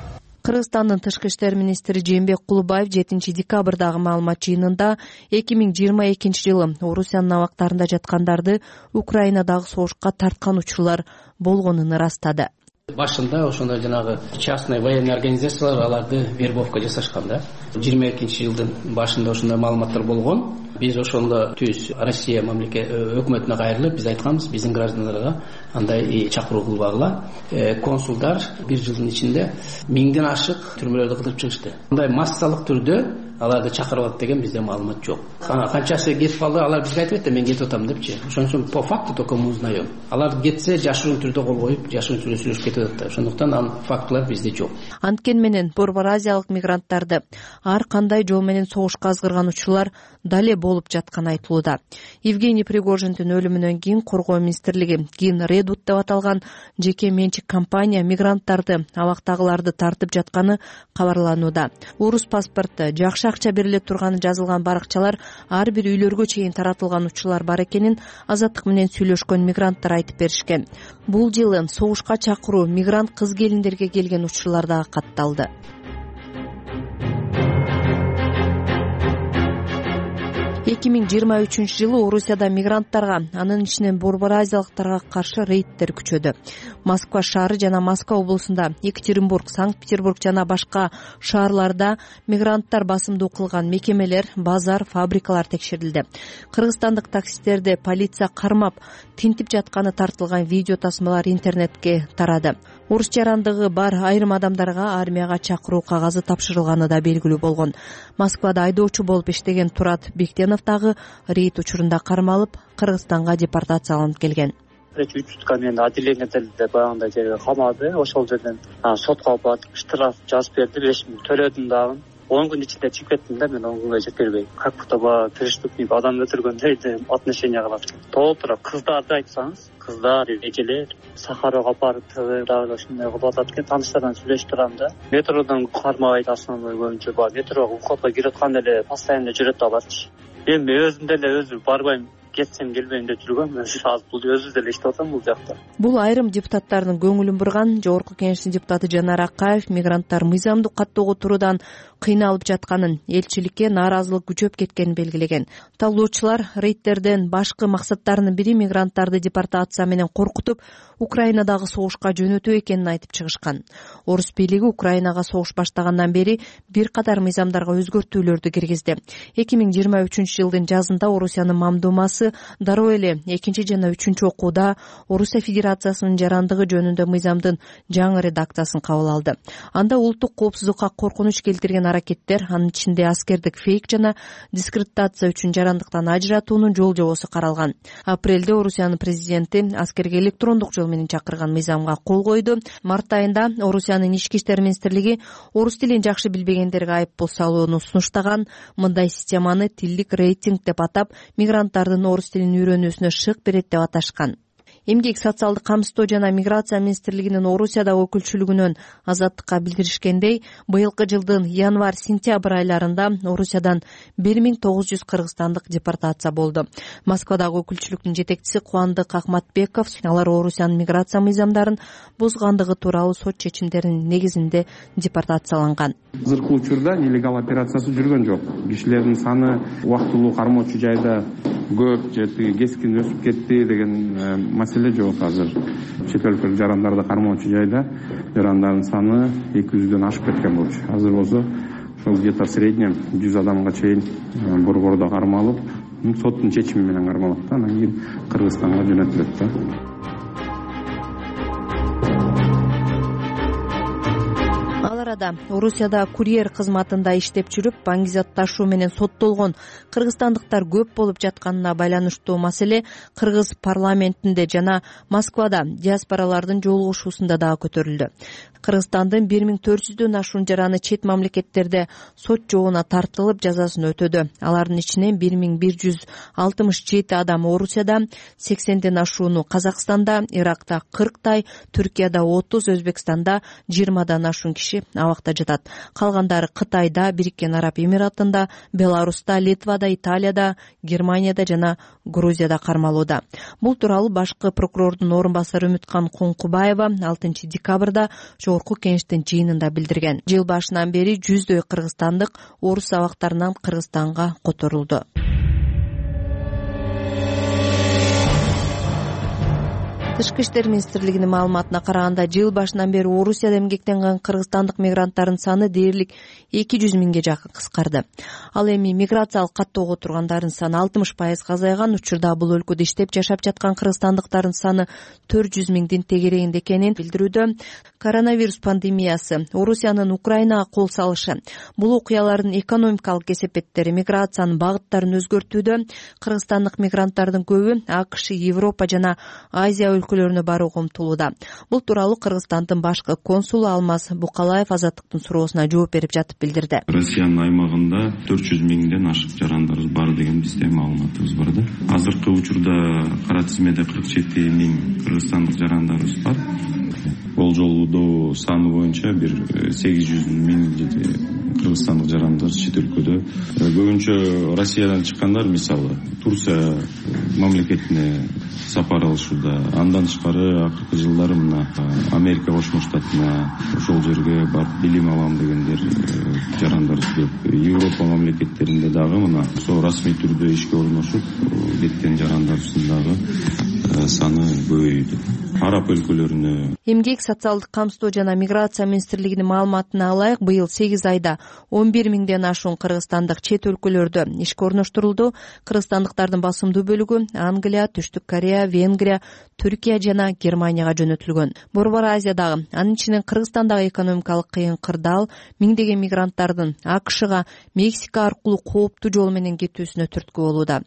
Кыргызстандын тышкы иштер министри Жээнбек Кулубаев 7 декабрдагы маалымат жыйынында 2022 жылы Орусиянын абактарында жаткандарды Украинадагы согушка тарткан учурлар болгонун ырастады. Башында ошондой жанагы частный военный организациялар аларды вербовка жасашкан да. 22 жылдын башында ошондой маалыматтар болгон. Биз ошондо түз Россия өкмөтүнө кайрылып, биз айтканбыз, биздин граждандарга андай чакыруу кылбагыла. Консулдар бир жылдын ичинде 1000ден ашык түрмөлөрдү кыдырып чыгышты. Мындай массалык түрдө аларды чакырып алат деген бизде маалымат жок. Канчасы кетип калды, алар бизге айтып атты, мен кетип атам депчи. Ошон үчүн по факту только мы узнаем. Алар кетсе жашыруун түрдө кол коюп, жашыруун түрдө сүйлөшүп кетип атат. Ошондуктан фактылар бизде жок. Анткени менен Борбор Азиялык мигранттарды ар кандай жол менен согушка азгырган учурлар дале болуп жатканы айтылууда. Евгений Пригожиндин өлүмүнөн кийин Коргоо министрлиги Гин Редут деп аталган жеке менчик компания мигранттарды, абактагыларды тартып жатканы кабарланууда. Орус паспорты, жакшы акча бериле турганы жазылган баракчалар ар бир үйлөргө чейин таратылган учурлар бар экенин Азаттык менен сүйлөшкөн мигранттар айтып беришкен. Бул жылы согушка чакыруу мигрант кыз келиндерге келген учурлар дагы катталды. 2023 жылы Орусияда мигранттарга, анын ичинен Борбор Азиялыктарга каршы рейдтер күчөдү. Москва шаары жана Москва облусунда, Екатеринбург, Санкт-Петербург жана башка шаарларда мигранттар басымдуу кылган мекемелер, базар, фабрикалар текшерилди. Кыргызстандык таксисттерди полиция кармап, тинтип жатканы тартылган видео тасмалар интернетке тарады. Орус жарандыгы бар айрым адамдарга армияга чакыруу кагазы тапшырылганы да белгилүү болгон. Москвада айдоочу болуп иштеген Турат Бектенов дагы рейд учурунда кармалып, Кыргызстанга депортацияланып келген. 3 сутка мени отделениеде баягындай жерге камады. Ошол жерден сотко алып барып штраф жазып берди, 5000 төлөдүм дагы. 10 күн ичинде чыгып кеттим да, мен 10 күнгө жетпей. Как будто бы преступник адам өлтүргөндөй отношение кылат. Толтура кыздарды айтсаңыз, кыздар, эжелер Сахарова апарып дагы ошондой кылып атат экен. Тааныштардан сүйлөшүп турам да. Метродон кармабайт основной боюнча, метрого уходко кирип атканда эле постоянно жүрөт аларчы. Эми өзүм деле өзү барбайм, кетсем келбейм деп жүргөм. Азыр бул өзү деле иштеп атам бул жакта. Бул айрым депутаттардын көңүлүн бурган. Жогорку кеңештин депутаты Жанар Акаев мигранттар мыйзамдуу каттоого туруудан кыйналып жатканын, элчиликке нааразылык күчөп кеткенин белгилеген. Талоочулар рейдтерден башкы максаттарынын бири мигранттарды депортация менен коркутуп, Украинадагы согушка жөнөтүү экенин айтып чыгышкан. Орус бийлиги Украинага согуш баштагандан бери бир катар мыйзамдарга өзгөртүүлөрдү киргизди. 2023 жылдын жазында Орусиянын мамдумасы партиясы дароо эле 2 жана 3 окууда Орусия Федерациясынын жарандыгы жөнүндө мыйзамдын жаңы редакциясын кабыл алды. Анда улуттук коопсуздукка коркунуч келтирген аракеттер, анын ичинде аскердик фейк жана дискредитация үчүн жарандыктан ажыратуунун жол жобосу каралган. Апрелде Орусиянын президенти аскерге электрондук жол менен чакырган мыйзамга кол койду. Март айында Орусиянын ички иштер министрлиги орус тилин жакшы билбегендерге айыппул салууну сунуштаган. Мындай системаны тилдик рейтинг деп атап, мигранттардын орус тилин үйрөнүүсүнө шык берет деп аташкан. Эмгек, социалдык камсыздоо жана миграция министрлигинин Орусиядагы өкүлчүлүгүнөн Азаттыкка билдиришкендей, быйылкы жылдын январь-сентябрь айларында Орусиядан 1900 кыргызстандык депортация болду. Москвадагы өкүлчүлүктүн жетекчиси Кубандык Акматбеков алар Орусиянын миграция мыйзамдарын бузгандыгы тууралуу сот чечимдеринин негизинде депортацияланган. Азыркы учурда нелегал операциясы жүргөн жок. Кишилердин саны убактылуу кармоочу жайда көп же кескин өсүп кетти деген маселе жок. Азыр чет өлкөлүк жарандарды кармоочу жайда жарандардын саны 200дөн ашып кеткен болчу. Азыр болсо ошол где-то в среднем 100 адамга чейин борбордо кармалып, соттун чечими менен кармалат да, анан кийин Кыргызстанга жөнөтүлөт да. Ал арада Орусияда курьер кызматында иштеп жүрүп, баңгизат ташуу менен соттолгон кыргызстандыктар көп болуп жатканына байланыштуу маселе кыргыз парламентинде жана Москвада диаспоралардын жолугушуусунда дагы көтөрүлдү. Кыргызстандын 1400дөн ашуун жараны чет мамлекеттерде сот жообуна тартылып жазасын өтөдү. Алардын ичинен 1167 адам Орусияда, 80ден ашууну Казакстанда, Иракта 40 Түркияда 30, Өзбекстанда 20дан ашуун киши абакта жатат. Калгандары Кытайда, Бириккен Араб Эмиратында, Беларуста, Литвада, Италияда, Германияда жана Грузияда кармалууда. Бул тууралуу башкы прокурордун орун басары Үмүткан Коңкубаева 6 декабрда Жогорку Кеңештин жыйынында билдирген. Жыл башынан бери 100дөй кыргызстандык орус абактарынан Кыргызстанга которулду. Тышкы иштер министрлигинин маалыматына караганда, жыл башынан бери Орусияда эмгектенген кыргызстандык мигранттардын саны дээрлик 200 миңге жакын кыскарды. Ал эми миграциялык каттоого тургандардын саны 60% азайган. Учурда бул өлкөдө иштеп жашап жаткан кыргызстандыктардын саны 400 миңдин тегерегинде экенин билдирүүдө. Коронавирус пандемиясы, Орусиянын Украинага кол салышы, бул окуялардын экономикалык кесепеттери миграциянын багыттарын өзгөртүүдө. Кыргызстандык мигранттардын көбү АКШ, Европа жана Азия өлкөлөрүнө барууга умтулууда. Бул тууралуу Кыргызстандын башкы консулу Алмаз Букалаев Азаттыктын суроосуна жооп берип жатып билдирди. Россиянын аймагында 400 миңден ашык жарандарыбыз бар деген бизде маалыматыбыз бар да. Азыркы учурда кара тизмеде 47 миң кыргызстандык жарандарыбыз бар. Болжолдуу саны боюнча бир 800 миң кыргызстандык жарандар чет өлкөдө. Көбүнчө Россиядан чыккандар, мисалы Турция мамлекетине сапар алышууда. Андан тышкары акыркы жылдары мына Америка Кошмо Штатына ошол жерге барып билим алам дегендер жарандар көп. Европа мамлекеттеринде дагы мына ошо расмий түрдө ишке орношуп кеткен жарандарыбыздын дагы саны көбөйдү. Араб өлкөлөрүнө. Эмгек, социалдык камсыздоо жана миграция министрлигинин маалыматына алайык, быйыл 8 айда 11 миңден ашуун кыргызстандык чет өлкөлөрдө ишке орноштурулду. Кыргызстандыктардын басымдуу бөлүгү Англия, Түштүк Корея, Венгрия, Түркия жана Германияга жөнөтүлгөн. Борбор Азиядагы, анын ичинен Кыргызстандагы экономикалык кыйын кырдаал миңдеген мигранттардын АКШга, Мексика аркылуу кооптуу жол менен кетүүсүнө түрткү болууда.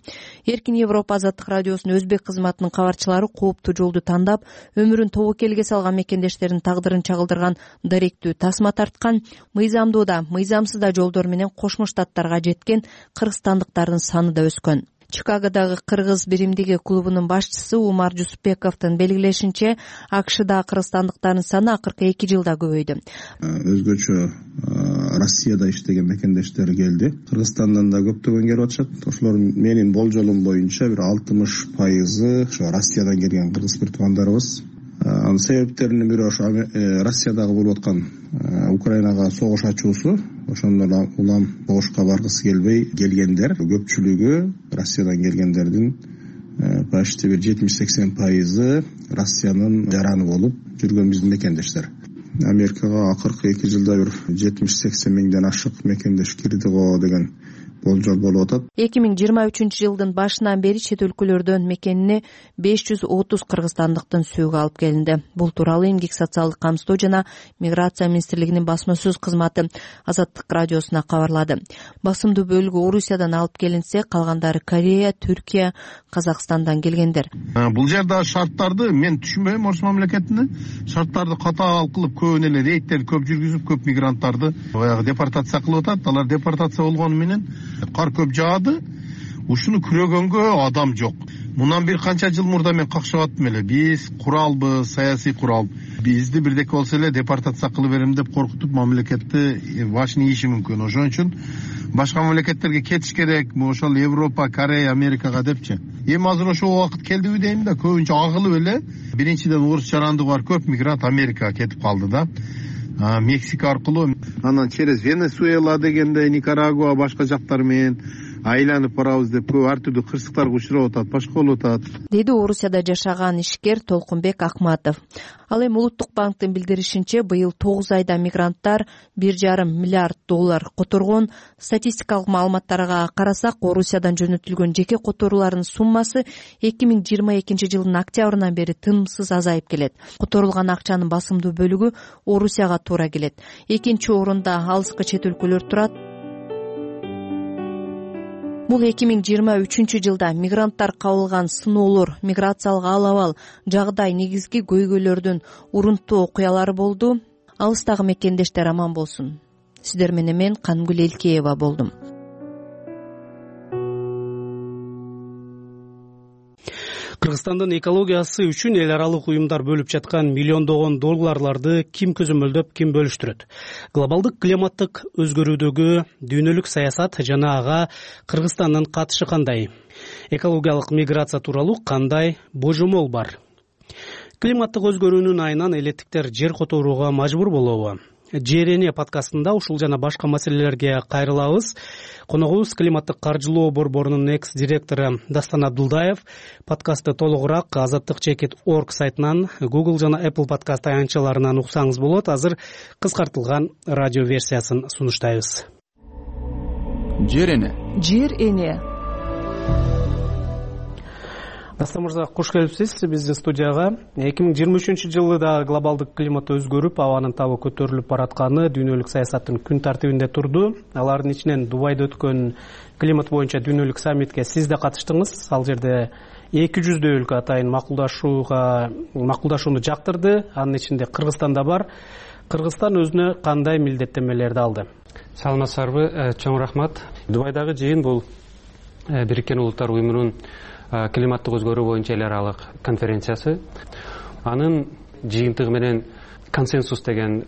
Эркин Европа азаттык радиосунун өзбек кызматынын кабарчылары кооптуу жолду тандап, өмүрүн тобокелге салган мекендештердин тагдырын чагылдырган даректүү тасма тарткан. Мыйзамдуу да, мыйзамсыз да жолдор менен Кошмо Штаттарга жеткен кыргызстандыктардын саны да өскөн. Чикагодагы кыргыз биримдиги клубунун башчысы Умар Жусупбековдун белгилешинче, АКШда кыргызстандыктардын саны акыркы 2 жылда көбөйдү. Өзгөчө Россияда иштеген мекендештер келди. Кыргызстандан да көптөгөн келип атышат. Ошолор менин болжолум боюнча бир 60% ошо Россиядан келген кыргыз бир туугандарыбыз. Анын себептеринин бири ошо Россиядагы болуп аткан Украинага согуш ачуусу. Ошондон улам согушка баргысы келбей келгендер. Көпчүлүгү Россиядан келгендердин почти бир 70-80% Россиянын жараны болуп жүргөн биздин мекендештер. Америкага акыркы 2 жылда бир 70-80 миңден ашык мекендеш кирди го деген болжол болуп атат. 2023-жылдын башынан бери чет өлкөлөрдөн мекенине 530 кыргызстандыктын сөөгү алып келинди. Бул тууралуу эмгек социалдык камсыздоо жана миграция министрлигинин басма сөз кызматы Азаттык радиосуна кабарлады. Басымдуу бөлүгү Орусиядан алып келинсе, калгандары Корея, Түркия, Казакстандан келгендер. Бул жерде шарттарды мен түшүнбөйм. Орус мамлекетинде шарттарды катаал кылып, көбүн эле рейдтерди көп жүргүзүп, көп мигранттарды баягы депортация кылып атат. Алар депортация болгону менен кар көп жаады. Ушуну күрөгөнгө адам жок. Мындан бир канча жыл мурда мен какшап аттым эле. Биз куралбыз, саясий курал. Бизди бирдеке болсо эле депортация кылып берем деп коркутуп мамлекетти башын ийиши мүмкүн. Ошон үчүн башка мамлекеттерге кетиш керек. Ошол Европа, Корея, Америкага депчи. Эми азыр ошол убакыт келдиби дейм да, көбүнчө агылып эле. Биринчиден орус жарандыгы бар көп мигрант Америкага кетип калды да. Мексика аркылуу, анан через Венесуэла дегенде, Никарагуа, башка жактар менен айланып барабыз деп көп ар түрдүү кырсыктарга учурап атат, башка болуп атат, деди Орусияда жашаган ишкер Толкунбек Акматов. Ал эми Улуттук банктын билдиришинче, быйыл 9 айда мигранттар $1,5 миллиард которгон. Статистикалык маалыматтарга карасак, Орусиядан жөнөтүлгөн жеке которуулардын суммасы 2022-жылдын октябрынан бери тынымсыз азайып келет. Которулган акчанын басымдуу бөлүгү Орусияга туура келет. Экинчи орунда алыскы чет өлкөлөр турат. Бул 2023-жылда мигранттар кабылган сыноолор, миграциялык ал-абал, жагдай, негизги көйгөйлөрдүн урунттуу окуялары болду. Алыстагы мекендештер аман болсун. Сиздер менен мен Канымгүл Элкеева болдум. Кыргызстандын экологиясы үчүн эл аралык уюмдар бөлүп жаткан миллиондогон долларларды ким көзөмөлдөп, ким бөлүштүрөт? Глобалдык климаттык өзгөрүүдөгү дүйнөлүк саясат жана ага Кыргызстандын катышы кандай? Экологиялык миграция тууралуу кандай божомол бар? Климаттык өзгөрүүнүн айынан элеттиктер жер которууга мажбур болобу? Жер эне подкастында ушул жана башка маселелерге кайрылабыз. Коногубуз климаттык каржылоо борборунун экс-директору Дастан Абдулдаев. Подкастты толугураак azattik.org сайтынан, Google жана Apple подкаст аянтчаларынан уксаңыз болот. Азыр кыскартылган радио версиясын сунуштайбыз. Жер эне. Жер эне. Дастан мырза, кош келипсиз биздин студияга. 2023-жылы да глобалдык климат өзгөрүп, абанын табы көтөрүлүп баратканы дүйнөлүк саясаттын күн тартибинде турду. Алардын ичинен Дубайда өткөн климат боюнча дүйнөлүк саммитке сиз да катыштыңыз. Ал жерде 200 өлкө атайын макулдашууну жактырды. Анын ичинде Кыргызстан да бар. Кыргызстан өзүнө кандай милдеттенмелерди алды? Саламатсыздарбы, чоң рахмат. Дубайдагы жыйын бул Бириккен Улуттар уюмунун климаттык өзгөрүү боюнча эл аралык конференциясы. Анын жыйынтыгы менен консенсус деген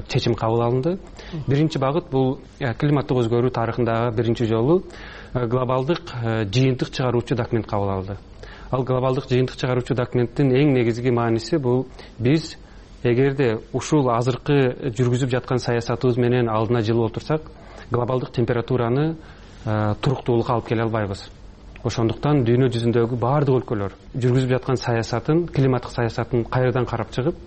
чечим кабыл алынды. Биринчи багыт бул климаттык өзгөрүү тарыхындагы биринчи жолу глобалдык жыйынтык чыгаруучу документ кабыл алды. Ал глобалдык жыйынтык чыгаруучу документтин эң негизги мааниси бул биз эгерде ушул азыркы жүргүзүп жаткан саясатыбыз менен алдына жылып отурсак, глобалдык температураны туруктуулукка алып келе албайбыз. Ошондуктан дүйнө жүзүндөгү баардык өлкөлөр жүргүзүп жаткан саясатын, климаттык саясатын кайрадан карап чыгып,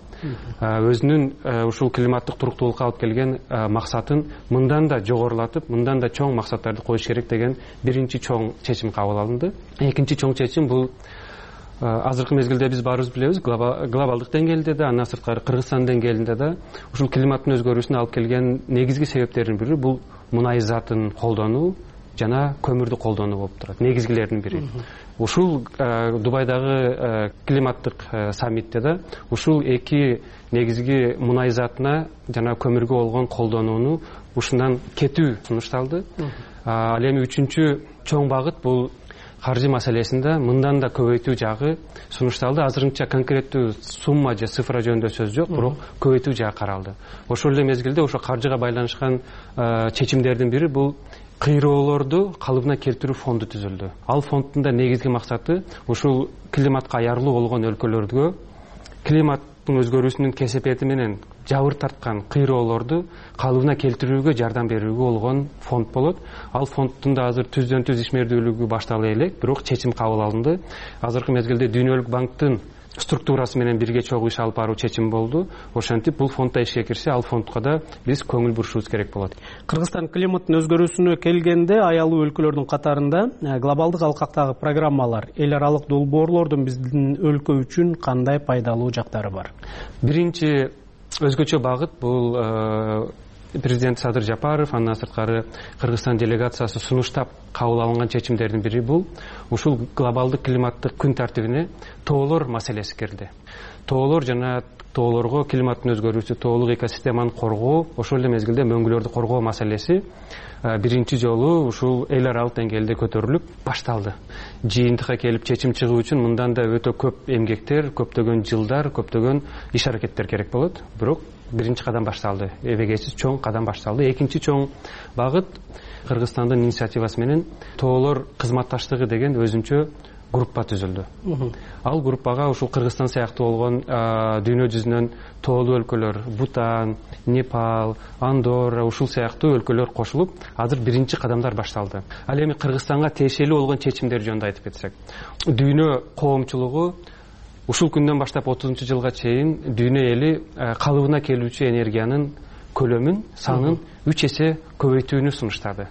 өзүнүн ушул климаттык туруктуулукка алып келген максатын мындан да жогорулатып, мындан да чоң максаттарды коюш керек деген биринчи чоң чечим кабыл алынды. Экинчи чоң чечим бул азыркы мезгилде биз баарыбыз билебиз, глобалдык деңгээлде да, андан сырткары Кыргызстан деңгээлинде да ушул климаттын өзгөрүүсүнө алып келген негизги себептердин бири бул мунай затын колдонуу жана көмүрдү колдонуу болуп турат. Негизгилердин бири. Ушул Дубайдагы климаттык саммитте да ушул эки негизги мунай затына жана көмүргө болгон колдонууну ушундан кетүү сунушталды. Ал эми үчүнчү чоң багыт бул каржы маселесинде мындан да көбөйтүү жагы сунушталды. Азырынча конкреттүү сумма же цифра жөнүндө сөз жок, бирок көбөйтүү жагы каралды. Ошол эле мезгилде ошо каржыга байланышкан чечимдердин бири бул кыйроолорду калыбына келтирүү фонду түзүлдү. Ал фонддун да негизги максаты ушул климатка аярлуу болгон өлкөлөргө климаттын өзгөрүүсүнүн кесепети менен жабыр тарткан кыйроолорду калыбына келтирүүгө жардам берүүгө болгон фонд болот. Ал фонддун да азыр түздөн түз ишмердүүлүгү баштала элек, бирок чечим кабыл алынды. Азыркы мезгилде Дүйнөлүк банктын структурасы менен бирге чогуу иш алып баруу чечим болду. Ошентип бул фонд да ишке кирсе, ал фондко да биз көңүл бурушубуз керек болот. Кыргызстан климаттын өзгөрүүсүнө келгенде аялуу өлкөлөрдүн катарында глобалдык алкактагы программалар, эл аралык долбоорлордун биздин өлкө үчүн кандай пайдалуу жактары бар? Биринчи өзгөчө багыт бул президент Садыр Жапаров, андан сырткары Кыргызстан делегациясы сунуштап кабыл алынган чечимдердин бири бул ушул глобалдык климаттык күн тартибине тоолор маселеси кирди. Тоолор жана тоолорго климаттын өзгөрүүсү, тоолук экосистеманы коргоо, ошол эле мезгилде мөңгүлөрдү коргоо маселеси биринчи жолу ушул эл аралык деңгээлде көтөрүлүп башталды. Жыйынтыкка келип чечим чыгуу үчүн мындан да өтө көп эмгектер, көптөгөн жылдар, көптөгөн иш аракеттер керек болот. Бирок биринчи кадам башталды. Эбегейсиз чоң кадам башталды. Экинчи чоң багыт Кыргызстандын инициативасы менен тоолор кызматташтыгы деген өзүнчө группа түзүлдү. Ал группага ушул Кыргызстан сыяктуу болгон дүйнө жүзүнөн тоолуу өлкөлөр, Бутан, Непал, Андорра ушул сыяктуу өлкөлөр кошулуп, азыр биринчи кадамдар башталды. Ал эми Кыргызстанга тиешелүү болгон чечимдер жөнүндө айтып кетсек, дүйнө коомчулугу ушул күндөн баштап 30-жылга чейин дүйнө эли калыбына келүүчү энергиянын көлөмүн, санын 3 эсе көбөйтүүнү сунуштады.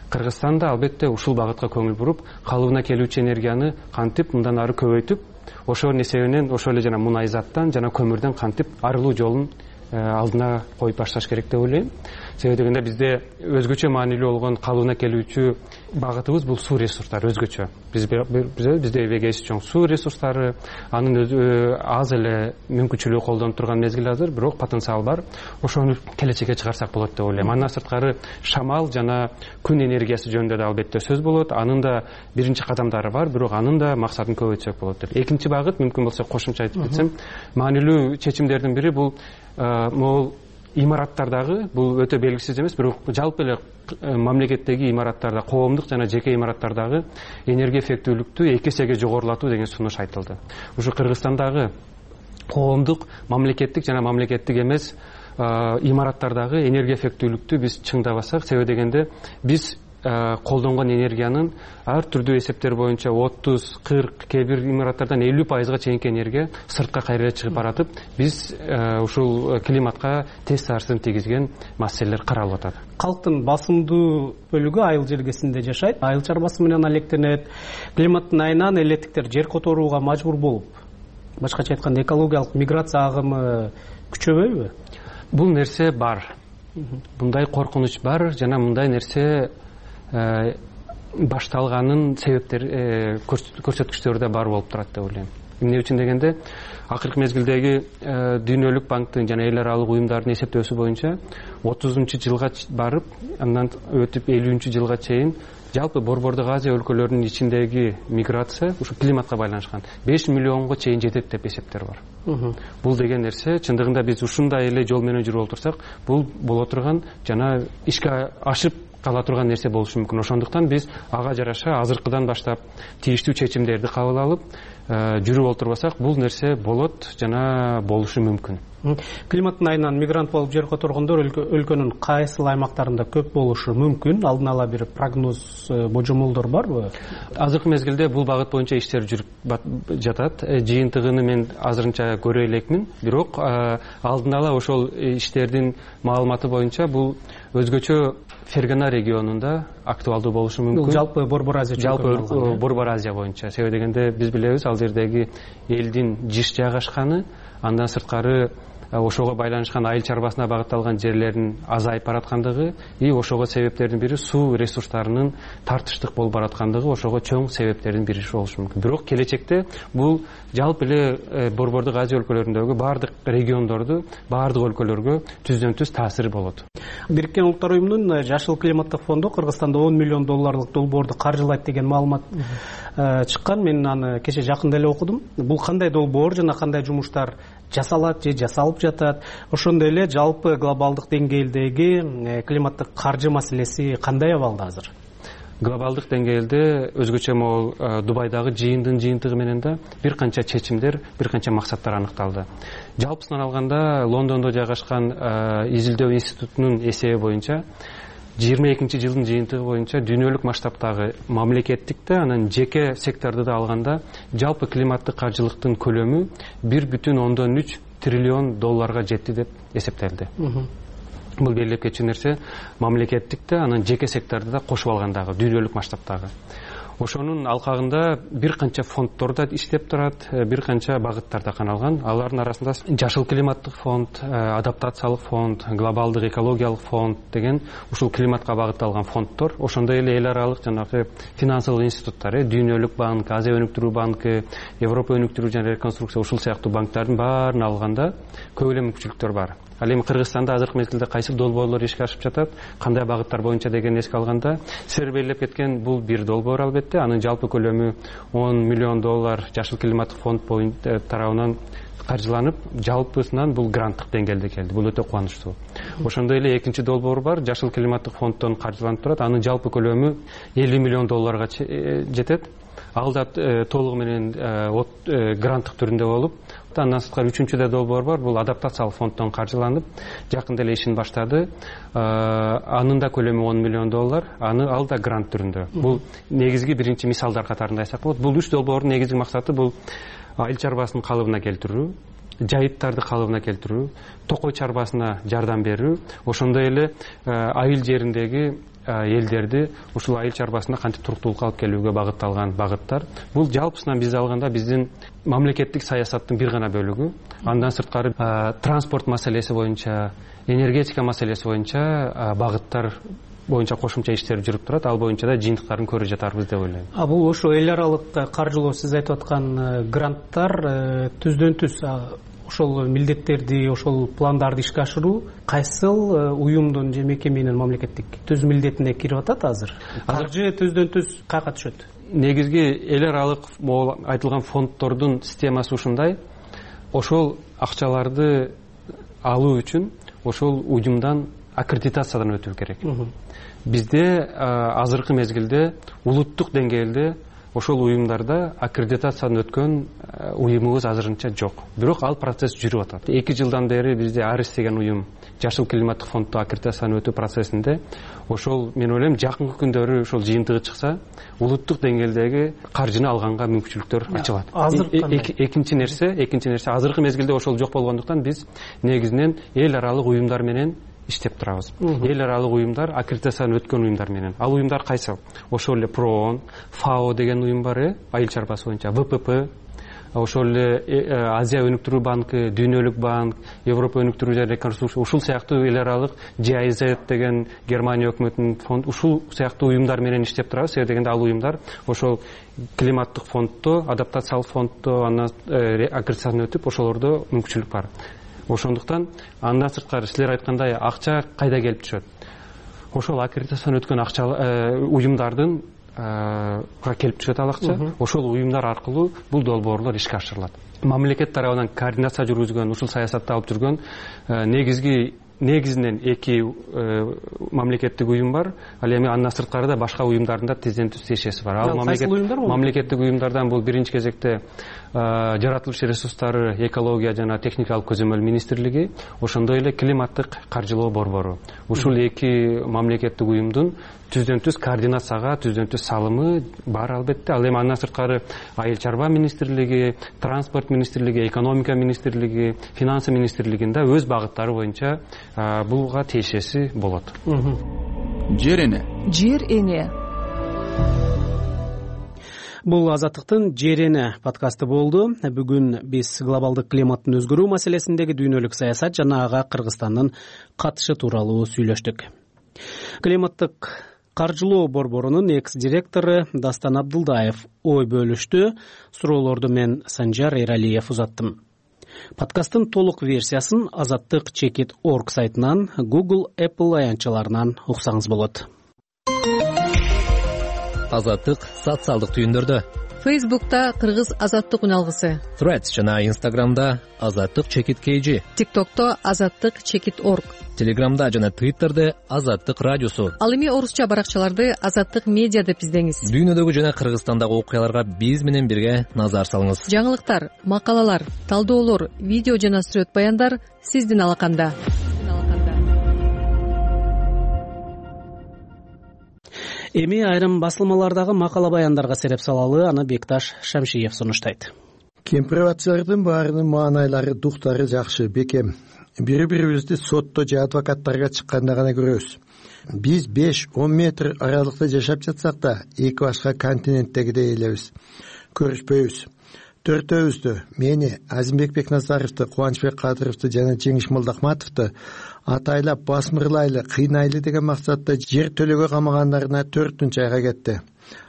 Кыргызстан да албетте ушул багытка көңүл буруп, калыбына келүүчү энергияны кантип мындан ары көбөйтүп, ошонун эсебинен ошол эле жана мунай заттан жана көмүрдөн кантип арылуу жолун алдына коюп башташ керек деп ойлойм. Себеби дегенде бизде өзгөчө маанилүү болгон калыбына келүүчү багытыбыз бул суу ресурстары өзгөчө. Бизде эбегейсиз чоң суу ресурстары, анын аз эле мүмкүнчүлүгү колдонуп турган мезгил азыр, бирок потенциал бар. Ошону келечекке чыгарсак болот деп ойлойм. Андан сырткары шамал жана күн энергиясы жөнүндө да албетте сөз болот. Анын да биринчи кадамдары бар, бирок анын да максатын көбөйтсөк болот деп. Экинчи багыт, мүмкүн болсо кошумча айтып кетсем, маанилүү чечимдердин бири бул могул имараттардагы, бул өтө белгисиз эмес, бирок жалпы эле мамлекеттеги имараттарда, коомдук жана жеке имараттардагы энергия эффектүүлүктү 2 эсеге жогорулатуу деген сунуш айтылды. Ушу Кыргызстандагы коомдук, мамлекеттик жана мамлекеттик эмес имараттардагы энергия эффектүүлүктү биз чыңдабасак, себеби дегенде биз колдонгон энергиянын ар түрдүү эсептер боюнча 30-40, кээ бир имараттардан 50%га чейинки энергия сыртка кайра чыгып баратып, биз ушул климатка терс таасирин тийгизген маселелер каралып атат. Калктын басымдуу бөлүгү айыл желгесинде жашайт, айыл чарбасы менен алектенет. Климаттын айынан элеттиктер жер которууга мажбур болуп, башкача айтканда экологиялык миграция агымы күчөбөйбү? Бул нерсе бар. Мындай коркунуч бар жана мындай нерсе башталганын себептери, көрсөткүчтөрү да бар болуп турат деп ойлойм. Эмне үчүн дегенде, акыркы мезгилдеги Дүйнөлүк банктын жана эл аралык уюмдардын эсептөөсү боюнча 30-жылга барып, андан өтүп 50-жылга чейин жалпы Борбордук Азия өлкөлөрүнүн ичиндеги миграция ушу климатка байланышкан 5 миллионго чейин жетет деп эсептер бар. Бул деген нерсе чындыгында биз ушундай эле жол менен жүрүп олтурсак, бул боло турган жана ишке ашып кала турган нерсе болушу мүмкүн. Ошондуктан биз ага жараша азыркыдан баштап тийиштүү чечимдерди кабыл алып, жүрүп олтурбасак, бул нерсе болот жана болушу мүмкүн. Климаттын айынан мигрант болуп жер которгондор өлкөнүн кайсыл аймактарында көп болушу мүмкүн? Алдын ала бир прогноз, божомолдор барбы? Азыркы мезгилде бул багыт боюнча иштер жүрүп жатат. Жыйынтыгын мен азырынча көрө элекмин, бирок алдын ала ошол иштердин маалыматы боюнча бул өзгөчө Фергана регионунда актуалдуу болушу мүмкүн. Жалпы Борбор Азия жалпы Борбор Азия боюнча. Себеби дегенде биз билебиз, ал жердеги элдин жиш жайгашканы, андан сырткары ошого байланышкан айыл чарбасына багытталган жерлердин азайып бараткандыгы, ошого себептердин бири суу ресурстарынын тартыштык болуп бараткандыгы, ошого чоң себептердин бири болушу мүмкүн. Бирок келечекте бул жалпы эле Борбордук Азия өлкөлөрүндөгү баардык региондорду, баардык өлкөлөргө түздөн түз таасири болот. Бириккен Улуттар уюмунун Жашыл климаттык фонду Кыргызстанда $10 миллион долбоорду каржылайт деген маалымат чыккан. Мен аны кече жакында эле окудум. Бул кандай долбоор жана кандай жумуштар жасалат же жасалып жатат? Ошондой эле жалпы глобалдык деңгээлдеги климаттык каржы маселеси кандай абалда азыр? Глобалдык деңгээлде өзгөчө могул Дубайдагы жыйындын жыйынтыгы менен да бир канча чечимдер, бир канча максаттар аныкталды. Жалпысынан алганда Лондондо жайгашкан изилдөө институтунун эсеби боюнча жылдын жыйынтыгы боюнча дүйнөлүк масштабтагы мамлекеттикте анан жеке секторду да алганда жалпы климаттык каржылыктын көлөмү 1,3 триллион долларга жетти деп эсептелди. Бул белгилеп кетчү нерсе мамлекеттикте анан жеке секторду да кошуп алгандагы дүйнөлүк масштабтагы. Ошонун алкагында бир канча фонддор да иштеп турат, бир канча багыттарда каналган. Алардын арасында жашыл климаттык фонд, адаптациялык фонд, глобалдык экологиялык фонд деген ушул климатка багытталган фонддор, ошондой эле эл аралык жанагы финансылык институттар, Дүйнөлүк банк, Азия өнүктүрүү банкы, Европа өнүктүрүү жана реконструкция ушул сыяктуу банктардын баарын алганда көп эле мүмкүнчүлүктөр бар. Ал эми Кыргызстанда азыркы мезгилде кайсы долбоорлор ишке ашып жатат, кандай багыттар боюнча деген эске алганда, силер белгилеп кеткен бул бир долбоор албетте, анын жалпы көлөмү 10 миллион доллар жашыл климаттык фонд тарабынан каржыланып, жалпысынан бул гранттык деңгээлде келди. Бул өтө кубанычтуу. Ошондой эле экинчи долбоор бар, жашыл климаттык фонддон каржыланып турат, анын жалпы көлөмү 50 миллион долларга жетет. Ал да толугу менен гранттык түрүндө болуп, андан сырткары үчүнчү да долбоор бар, бул адаптациялык фонддон каржыланып, жакында эле ишин баштады. Анын да көлөмү 10 миллион доллар, ал да грант түрүндө. Бул негизги биринчи мисалдар катарында айсак болот. Бул үч долбоордун негизги максаты бул айыл чарбасын калыбына келтирүү, жайыттарды калыбына келтирүү, токой чарбасына жардам берүү, ошондой эле айыл жериндеги элдерди ушул айыл чарбасына кантип туруктуулукка алып келүүгө багытталган багыттар. Бул жалпысынан бизди алганда биздин мамлекеттик саясаттын бир гана бөлүгү. Андан сырткары транспорт маселеси боюнча, энергетика маселеси боюнча багыттар боюнча кошумча иштер жүрүп турат. Ал боюнча да жыйынтыктарын көрүп жатарбыз деп ойлойм. Бул ошо эл аралык каржылоо, сиз айтып аткан гранттар түздөн түз ошол милдеттерди, ошол пландарды ишке ашыруу кайсыл уюмдун же мекеменин мамлекеттик түз милдетине кирип атат азыр? Каржы түздөн түз каяка түшөт? Негизги эл аралык могу айтылган фонддордун системасы ушундай. Ошол акчаларды алуу үчүн ошол уюмдан аккредитациядан өтүү керек. Бизде азыркы мезгилде улуттук деңгээлде ошол уюмдарда аккредитациядан өткөн уюмубуз азырынча жок. Бирок ал процесс жүрүп атат. 2 жылдан бери бизде Арис деген уюм жашыл климаттык фонддо аккредитациядан өтүү процессинде. Ошол мен ойлойм жакынкы күндөрү ошол жыйынтыгы чыкса, улуттук деңгээлдеги каржыны алганга мүмкүнчүлүктөр ачылат. Экинчи нерсе азыркы мезгилде ошол жок болгондуктан биз негизинен эл аралык уюмдар менен иштеп турабыз. Эл аралык уюмдар, аккредитациядан өткөн уюмдар менен. Ал уюмдар кайсы? Ошол эле ПРООН, ФАО деген уюм бар, айыл чарбасы боюнча, ВПП, ошол эле Азия өнүктүрүү банкы, Дүйнөлүк банк, Европа өнүктүрүү жана реконструкция, ушул сыяктуу эл аралык GIZ деген Германия өкмөтүнүн фонд, ушул сыяктуу уюмдар менен иштеп турабыз. Себеби дегенде ал уюмдар ошол климаттык фонддо, адаптациялык фонддо андан аккредитациядан өтүп, ошолордо мүмкүнчүлүк бар. Ошондуктан андан сырткары силер айткандай акча кайда келип түшөт? Ошол аккредитациядан өткөн акча уюмдардын келип түшөт ал акча. Ошол уюмдар аркылуу бул долбоорлор ишке ашырылат. Мамлекет тарабынан координация жүргүзгөн, ушул саясатты алып жүргөн негизинен 2 мамлекеттик уюм бар. Ал эми андан сырткары да башка уюмдардын да тизден түз тиешеси бар. Ал мамлекеттик уюмдардан бул биринчи кезекте жаратылыш ресурстары, экология жана техникалык көзөмөл министрлиги, ошондой эле климаттык каржылоо борбору. Ушул 2 мамлекеттик уюмдун түздөн түз координацияга, түздөн түз салымы бар албетте. Ал эми андан сырткары айыл чарба министрлиги, транспорт министрлиги, экономика министрлиги, финансы министрлигинде өз багыттары боюнча булга тиешеси болот. Жер эне. Бул Азаттыктын Жер эне подкасты болду. Бүгүн биз глобалдык климаттын өзгөрүү маселесиндеги дүйнөлүк саясат жана ага Кыргызстандын катышы тууралуу сүйлөштүк. Климаттык каржылоо борборунун экс-директору Дастан Абдылдаев ой бөлүштү. Суроолорду мен Санжар Эралиев узаттым. Подкасттын толук версиясын azattik.org сайтынан, Google, Apple аянтчаларынан уксаңыз болот. Азаттык социалдык түйүндөрдө. Facebook'ta Кыргыз Азаттык үналгысы. Threads жана Instagram'da azattik_kg. TikTok'ta azattik_org. Telegram'da жана Twitter'de Азаттык радиосу. Ал эми орусча баракчаларды Азаттык медиа деп издеңиз. Дүйнөдөгү жана Кыргызстандагы окуяларга биз менен бирге назар салыңыз. Жаңылыктар, макалалар, талдоолор, видео жана сүрөт баяндар сиздин алаканда. Эми айрым басылмалардагы макала баяндарга сереп салалы, аны Бекташ Шамшиев сунуштайт. Кемпирбатчылардын баарынын маанайлары, дуктары жакшы, бекем. Бири-бирибизди сотто же адвокаттарга чыкканда гана көрөбүз. Биз 5-10 метр аралыкта жашап жатсак да, эки башка континенттегидей элебиз. Көрүшпөйбүз. Төртөөбүздү, мени, Азимбек Бекназаровду, Кубанычбек Кадыровду жана Жеңиш Молдохматовду атайлап басмырлайлы, кыйнайлы деген максатта жер төлөгө камагандарына 4 айга кетти.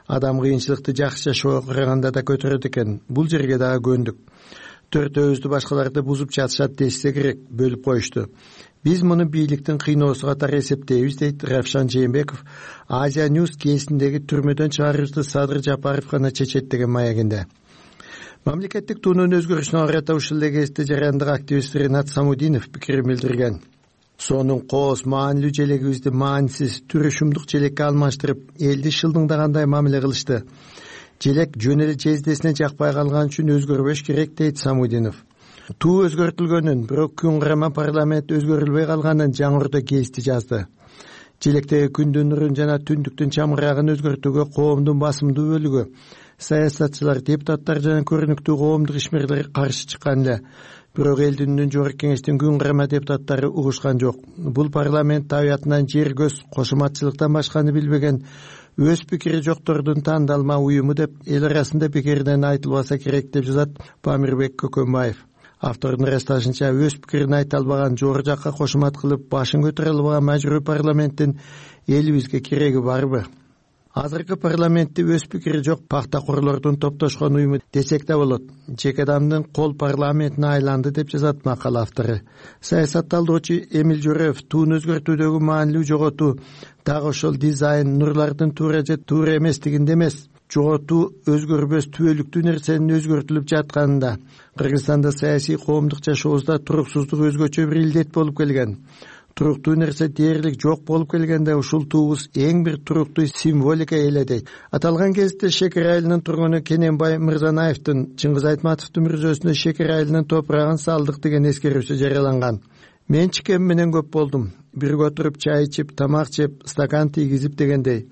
Адам кыйынчылыкты жакшы жашоого караганда да көтөрөт экен. Бул жерге дагы көндүк. Төртөөбүздү башкаларды бузуп жатышат десе керек, бөлүп коюшту. Биз муну бийликтин кыйноосу катары эсептейбиз, дейт Равшан Жээнбеков Азия Ньюс кесиндеги түрмөдөн чыгарышты Садыр Жапаров гана чечет деген маегинде. Мамлекеттик туунун өзгөрүшүнө карата ушул эле кезде жарандык активист Ринат Самудинов пикирин билдирген. Сонун кооз маанилүү желегибизди маанисиз түрүшүмдүк желекке алмаштырып, элди шылдыңдагандай мамиле кылышты. Желек жөн эле жездесине жакпай калган үчүн өзгөрбөш керек, дейт Самудинов. Туу өзгөртүлгөнүн, бирок күн карама парламент өзгөрүлбөй калганын жаңырда гезити жазды. Желектеги күндүн нурун жана түндүктүн чамырагын өзгөртүүгө коомдун басымдуу бөлүгү, саясатчылар, депутаттар жана көрүнүктүү коомдук ишмерлер каршы чыккан эле. Бирок элдин үнүн жогорку кеңештин күн карама депутаттары угушкан жок. Бул парламент табиятынан жер көз кошуматчылыктан башканы билбеген өз пикири жоктордун тандалма уюму деп эл арасында пикиринен айтылбаса керек, деп жазат Памирбек Көкөнбаев. Автордун ырасташынча, өз пикирин айта албаган, жогору жакка кошумат кылып башын көтөрө албаган мажбурий парламенттин элибизге кереги барбы? Азыркы парламентти өз пикири жок пахтакорлордун топтошкон уюму десек да болот. Жеке адамдын кол парламентине айланды, деп жазат макала автору. Саясатталдоочу Эмил Жөрөев туун өзгөртүүдөгү маанилүү жоготуу дагы ошол дизайн нурлардын туура же туура эместигинде эмес, жоготуу өзгөрбөс түбөлүктүү нерсенин өзгөртүлүп жатканында. Кыргызстанда саясий коомдук жашообузда туруксуздук өзгөчө бир илдет болуп келген. Туруктуу нерсе дээрлик жок болуп келгенде ушул туубуз эң бир туруктуу символика эле, дейт. Аталган кезде Шекер айылынын тургуну Кененбай Мырзанаевдин Чыңгыз Айтматовдун мүрзөсүнө Шекер айылынын топурагын салдык деген эскерүүсү жарыяланган. Мен чикем менен көп болдум. Бирге отуруп чай ичип, тамак жеп, стакан тийгизип дегендей.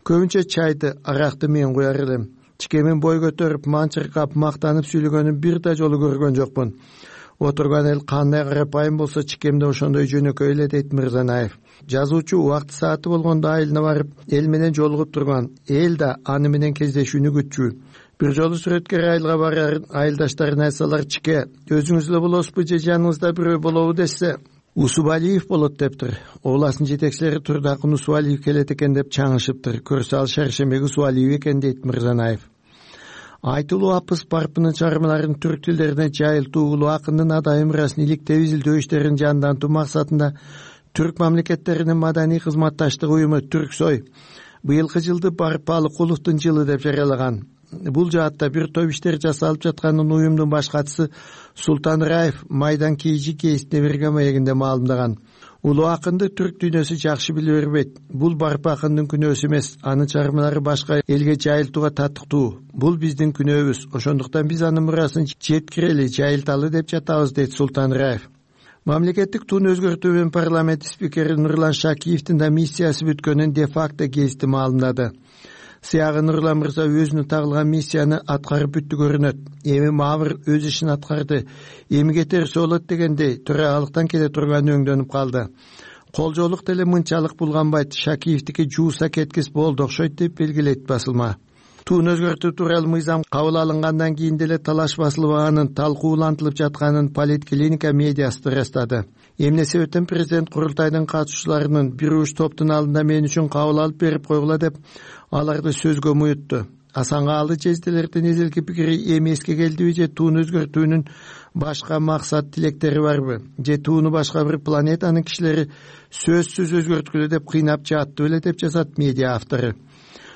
Көбүнчө чайды, аракты мен куяр элем. Чикемин бой көтөрүп, манчыркап, мактанып сүйлөгөнүн бир да жолу көргөн жокмун. Отурган эл кандай карапайым болсо, чикемде ошондой жөнөкөй эле, дейт Мырзанаев. Жазуучу убакыт сааты болгондо айылына барып, эл менен жолугуп турган. Эл да аны менен кездешүүнү күтчү. Бир жолу сүрөткер айылга барар, айылдаштарына айтсалар, чике, өзүңүз эле болосузбу же жаныңызда бирөө болобу десе, Усубалиев болот дептир. Областын жетекчилери Турдакын Усубалиев келет экен деп чаңышыптыр. Көрсө ал Шаршембек Усубалиев экен, дейт Мырзанаев. Айтылуу Апыс Парпынын чыгармаларын түрк тилдерине жайылтуу, улуу акындын адайым ырасын иликтеп изилдөө иштерин жандантуу максатында түрк мамлекеттеринин маданий кызматташтык уюму Түрксой быйылкы жылды Барпалыкуловдун жылы деп жарыялаган. Бул жаатта бир топ иштер жасалып жатканын уюмдун баш катчысы Султан Раев Майдан Кейжи кесине берген маегинде маалымдаган. Улуу акынды түрк дүйнөсү жакшы биле бербейт. Бул Барпа акындын күнөөсү эмес, анын чыгармалары башка элге жайылтууга татыктуу. Бул биздин күнөөбүз. Ошондуктан биз анын мурасын жеткирели, жайылталы деп жатабыз, дейт Султан Раев. Мамлекеттик туун өзгөртүү менен парламент спикери Нурлан Шакиевдин да миссиясы бүткөнүн де-факто гезити маалымдады. Сыягы Нурлан мырза өзүнүн тагылган миссияны аткарып бүттү көрүнөт. Эми Мавр өз ишин аткарды. Эми кетерсе болот дегендей төрагалыктан келе турган өңдөнүп калды. Колжоолук деле мынчалык булганбайт. Шакиевдики жууса кеткис болду окшойт, деп белгилейт басылма. Туун өзгөртүү тууралуу мыйзам кабыл алынгандан кийин деле талаш басылбаганын, талкуулантылып жатканын Политклиника медиасы ырастады. Эмне себептен президент курултайдын катышуучуларынын бир уч топтун алдында мен үчүн кабыл алып берип койгула деп аларды сөзгө муютту. Асангаалы жезделердин эзелки пикири эми эске келдиби же туун өзгөртүүнүн башка максат тилектери барбы? Же тууну башка бир планетанын кишилери сөзсүз өзгөрткүлө деп кыйнап жатты беле, деп жазат медиа автору.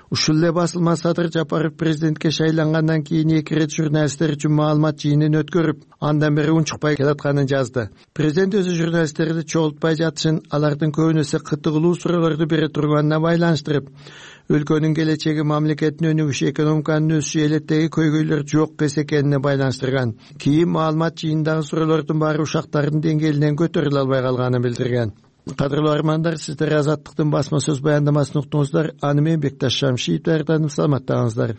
Ушул эле басылма Садыр Жапаров президентке шайлангандан кийин 2 рет журналисттер үчүн маалымат жыйынын өткөрүп, андан бери унчукпай келатканын жазды. Президент өзү журналисттерди чогултпай жатышын, алардын көбүнөсү кытыгылуу суроолорду бере турганына байланыштырып, өлкөнүн келечеги, мамлекеттин өнүгүшү, экономиканын өсүшү, элеттеги көйгөйлөр жок эс экенине байланыштырган. Кийин маалымат жыйынындагы суроолордун баары ушактардын деңгээлинен көтөрүлө албай калганын билдирген. Кадырлуу армандар, сиздер Азаттыктын басма сөз баяндамасын уктуңуздар. Аны мен Бекташ Шамшиев даярдадым. Саламаттаңыздар.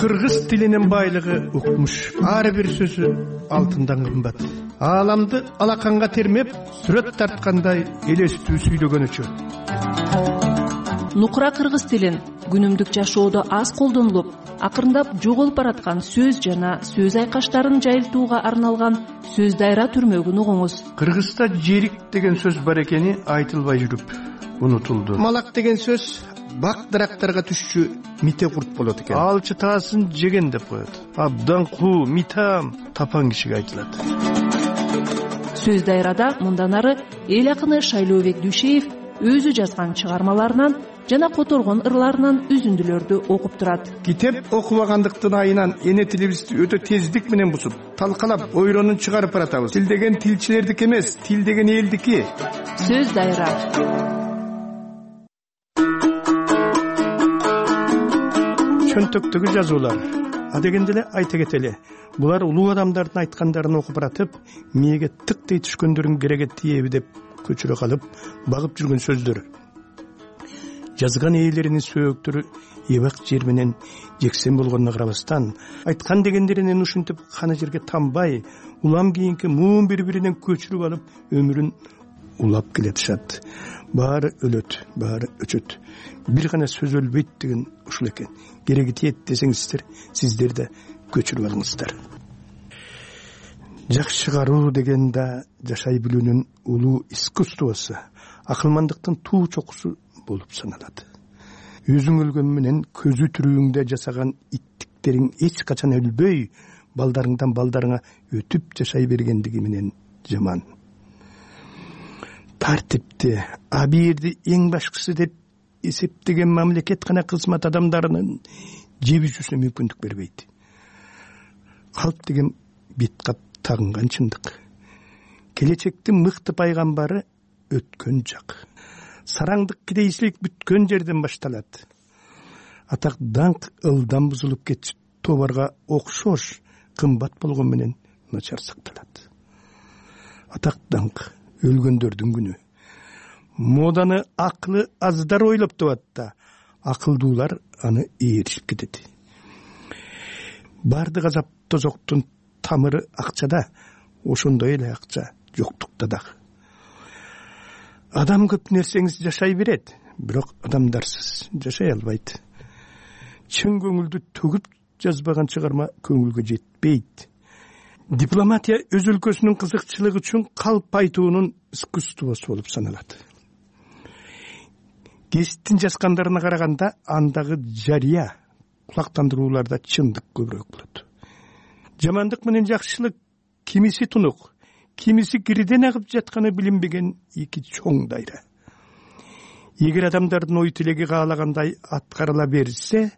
Кыргыз тилинин байлыгы укмуш. Ар бир сөзү алтындан кымбат. Ааламды алаканга термеп, сүрөт тарткандай элестүү сүйлөгөнүчө. Нукура кыргыз тилин күнүмдүк жашоодо аз колдонулуп, акырындап жоголуп бараткан сөз жана сөз айкаштарын жайылтууга арналган сөз дайра түрмөгүн угуңуз. Кыргызда жерик деген сөз бар экени айтылбай жүрүп унутулду. Малак деген сөз бак дарактарга түшчү мите курт болот экен. Алчы таасын жеген деп коет. Абдан куу, митам, тапан кишиге айтылат. Сөз дайрада мындан ары эл акыны Шайлообек Дүйшеев өзү жазган чыгармаларынан жана которгон ырларынан үзүндүлөрдү окуп турат. Китеп окубагандыктын айынан эне тилибизди өтө тездик менен бузуп, талкалап, ойронун чыгарып баратабыз. Тил деген тилчилердики эмес, тил деген элдики. Сөз дайра. Чөнтөктөгү жазуулар. Адегенде эле айта кетели. Булар улуу адамдардын айткандарын окуп баратып, мээге тыктей түшкөндөрүн кереге тиеби деп көчүрө калып, багып жүргөн сөздөр. Жазган ээлеринин сөөктөрү эбак жер менен жексен болгонуна карабастан, айткан дегендеринен ушинтип каны жерге тамбай, улам кийинки муун бири-биринен көчүрүп алып, өмүрүн улап келатышат. Баары өлөт, баары өчөт. Бир гана сөз өлбөйт деген ушул экен. Кереги тиет десеңиздер, сиздер да көчүрүп алыңыздар. Жакшы кароо деген да жашай билүүнүн улуу искусствосу, акылмандыктын туу чокусу болуп саналат. Өзүң өлгөн менен көзү түрүүңдө жасаган иттиктериң эч качан өлбөй, балдарыңдан балдарыңа өтүп жашай бергендиги менен жаман. Тартипти, абийирди эң башкысы деп эсептеген мамлекет гана кызмат адамдарынын жебүзүүсүнө мүмкүндүк бербейт. Калп деген бет кап тагынган чындык. Келечектин мыкты пайгамбары өткөн жак. Сараңдык кедейчилик бүткөн жерден башталат. Атак даңк ылдан бузулуп кетип, тоборго окшош кымбат болгон менен начар сакталат. Атак даңк өлгөндөрдүн күнү. Моданы акылы аздар ойлоп табат да, акылдуулар аны ээришип кетет. Бардык азап тозоктун тамыры акчада, ошондой эле акча жоктукта дагы. Адам көп нерсеңиз жашай берет, бирок адамдарсыз жашай албайт. Чын көңүлдү төгүп жазбаган чыгарма көңүлгө жетпейт. Дипломатия өз өлкөсүнүн кызыкчылыгы үчүн калп айтуунун искусствосу болуп саналат. Гезиттин жазгандарына караганда андагы жарыя кулактандырууларда чындык көбүрөөк болот. Жамандык менен жакшылык кимиси тунук, кимиси кириден агып жатканы билинбеген эки чоң дайра. Эгер адамдардын ой тилеги каалагандай аткарыла берсе,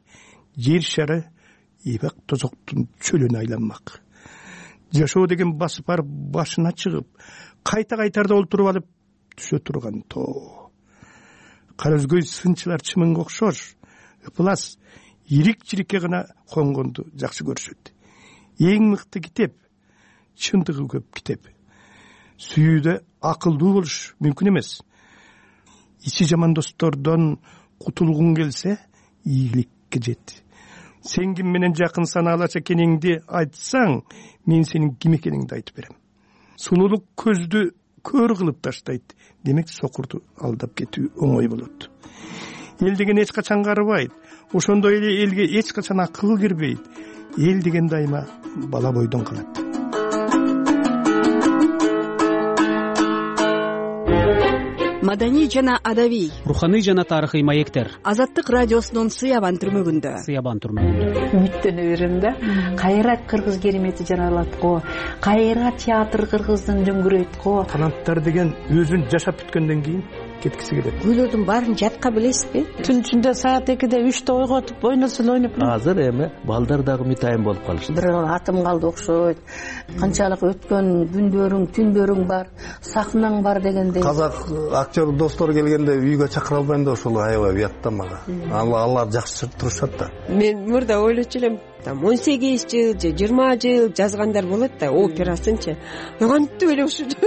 жер шары эбак тозоктун чөлүнө айланмак. Жашоо деген басып барып башына чыгып, кайта-кайтарда олтуруп алып түшө турган тоо. Кара өзгөй сынчылар чымынга окшош, ыпылас, ирик-чирикке гана конгонду жакшы көрүшөт. Эң мыкты китеп, чындыгы көп китеп. Сүйүүдө акылдуу болуш мүмкүн эмес. Ичи жаман достордон кутулгуң келсе, ийгиликке жет. Сен ким менен жакын санаалаш экениңди айтсаң, мен сенин ким экениңди айтып берем. Сулуулук көздү көр кылып таштайт. Демек сокурду алдап кетүү оңой болот. Эл деген эч качан карыбайт. Ошондой эле элге эч качан акыл кирбейт. Эл деген дайыма бала бойдон калат. Маданий жана адабий, руханий жана тарыхый маектер. Азаттык радиосунун Сыябан түрмөгүндө. Үмүттөнө берем да. Кайра кыргыз керемети жаралат го, кайра театр кыргыздын дөңгүрөйт го. Таланттар деген өзүн жашап бүткөндөн кийин кеткиси келет. Күйлөрдүн баарын жатка билесизби? Түн ичинде саат 2-де 3-те ойготуп ойносо ойноп. Азыр эми балдар дагы митайым болуп калышты. Бир атым калды окшойт. Канчалык өткөн күндөрүң, түндөрүң бар, сахнаң бар дегендей. Казак актер достор келгенде үйгө чакыра албайм да ошол аябай уят да мага. Алар жакшы турушат да. Мен мурда ойлочу элем, там 18 жыл же 20 жыл жазгандар болот да операсынчы кантип эле ушунча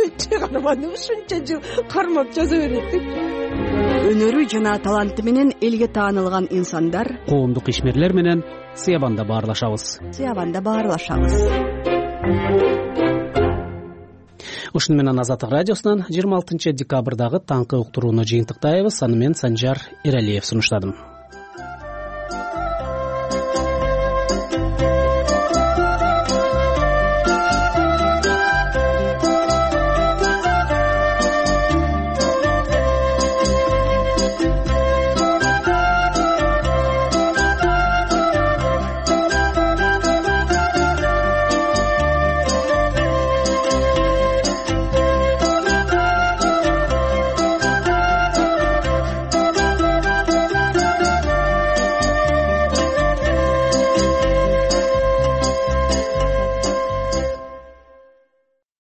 ушунча жыл кармап жаза берет депчи. Өнөрү жана таланты менен элге таанылган инсандар коомдук ишмерлер менен Сыябанда баарлашабыз. Ушуну менен Азаттык радиосунан 26 декабрдагы таңкы уктурууну жыйынтыктайбыз. Аны мен Санжар Эралиев сунуштадым.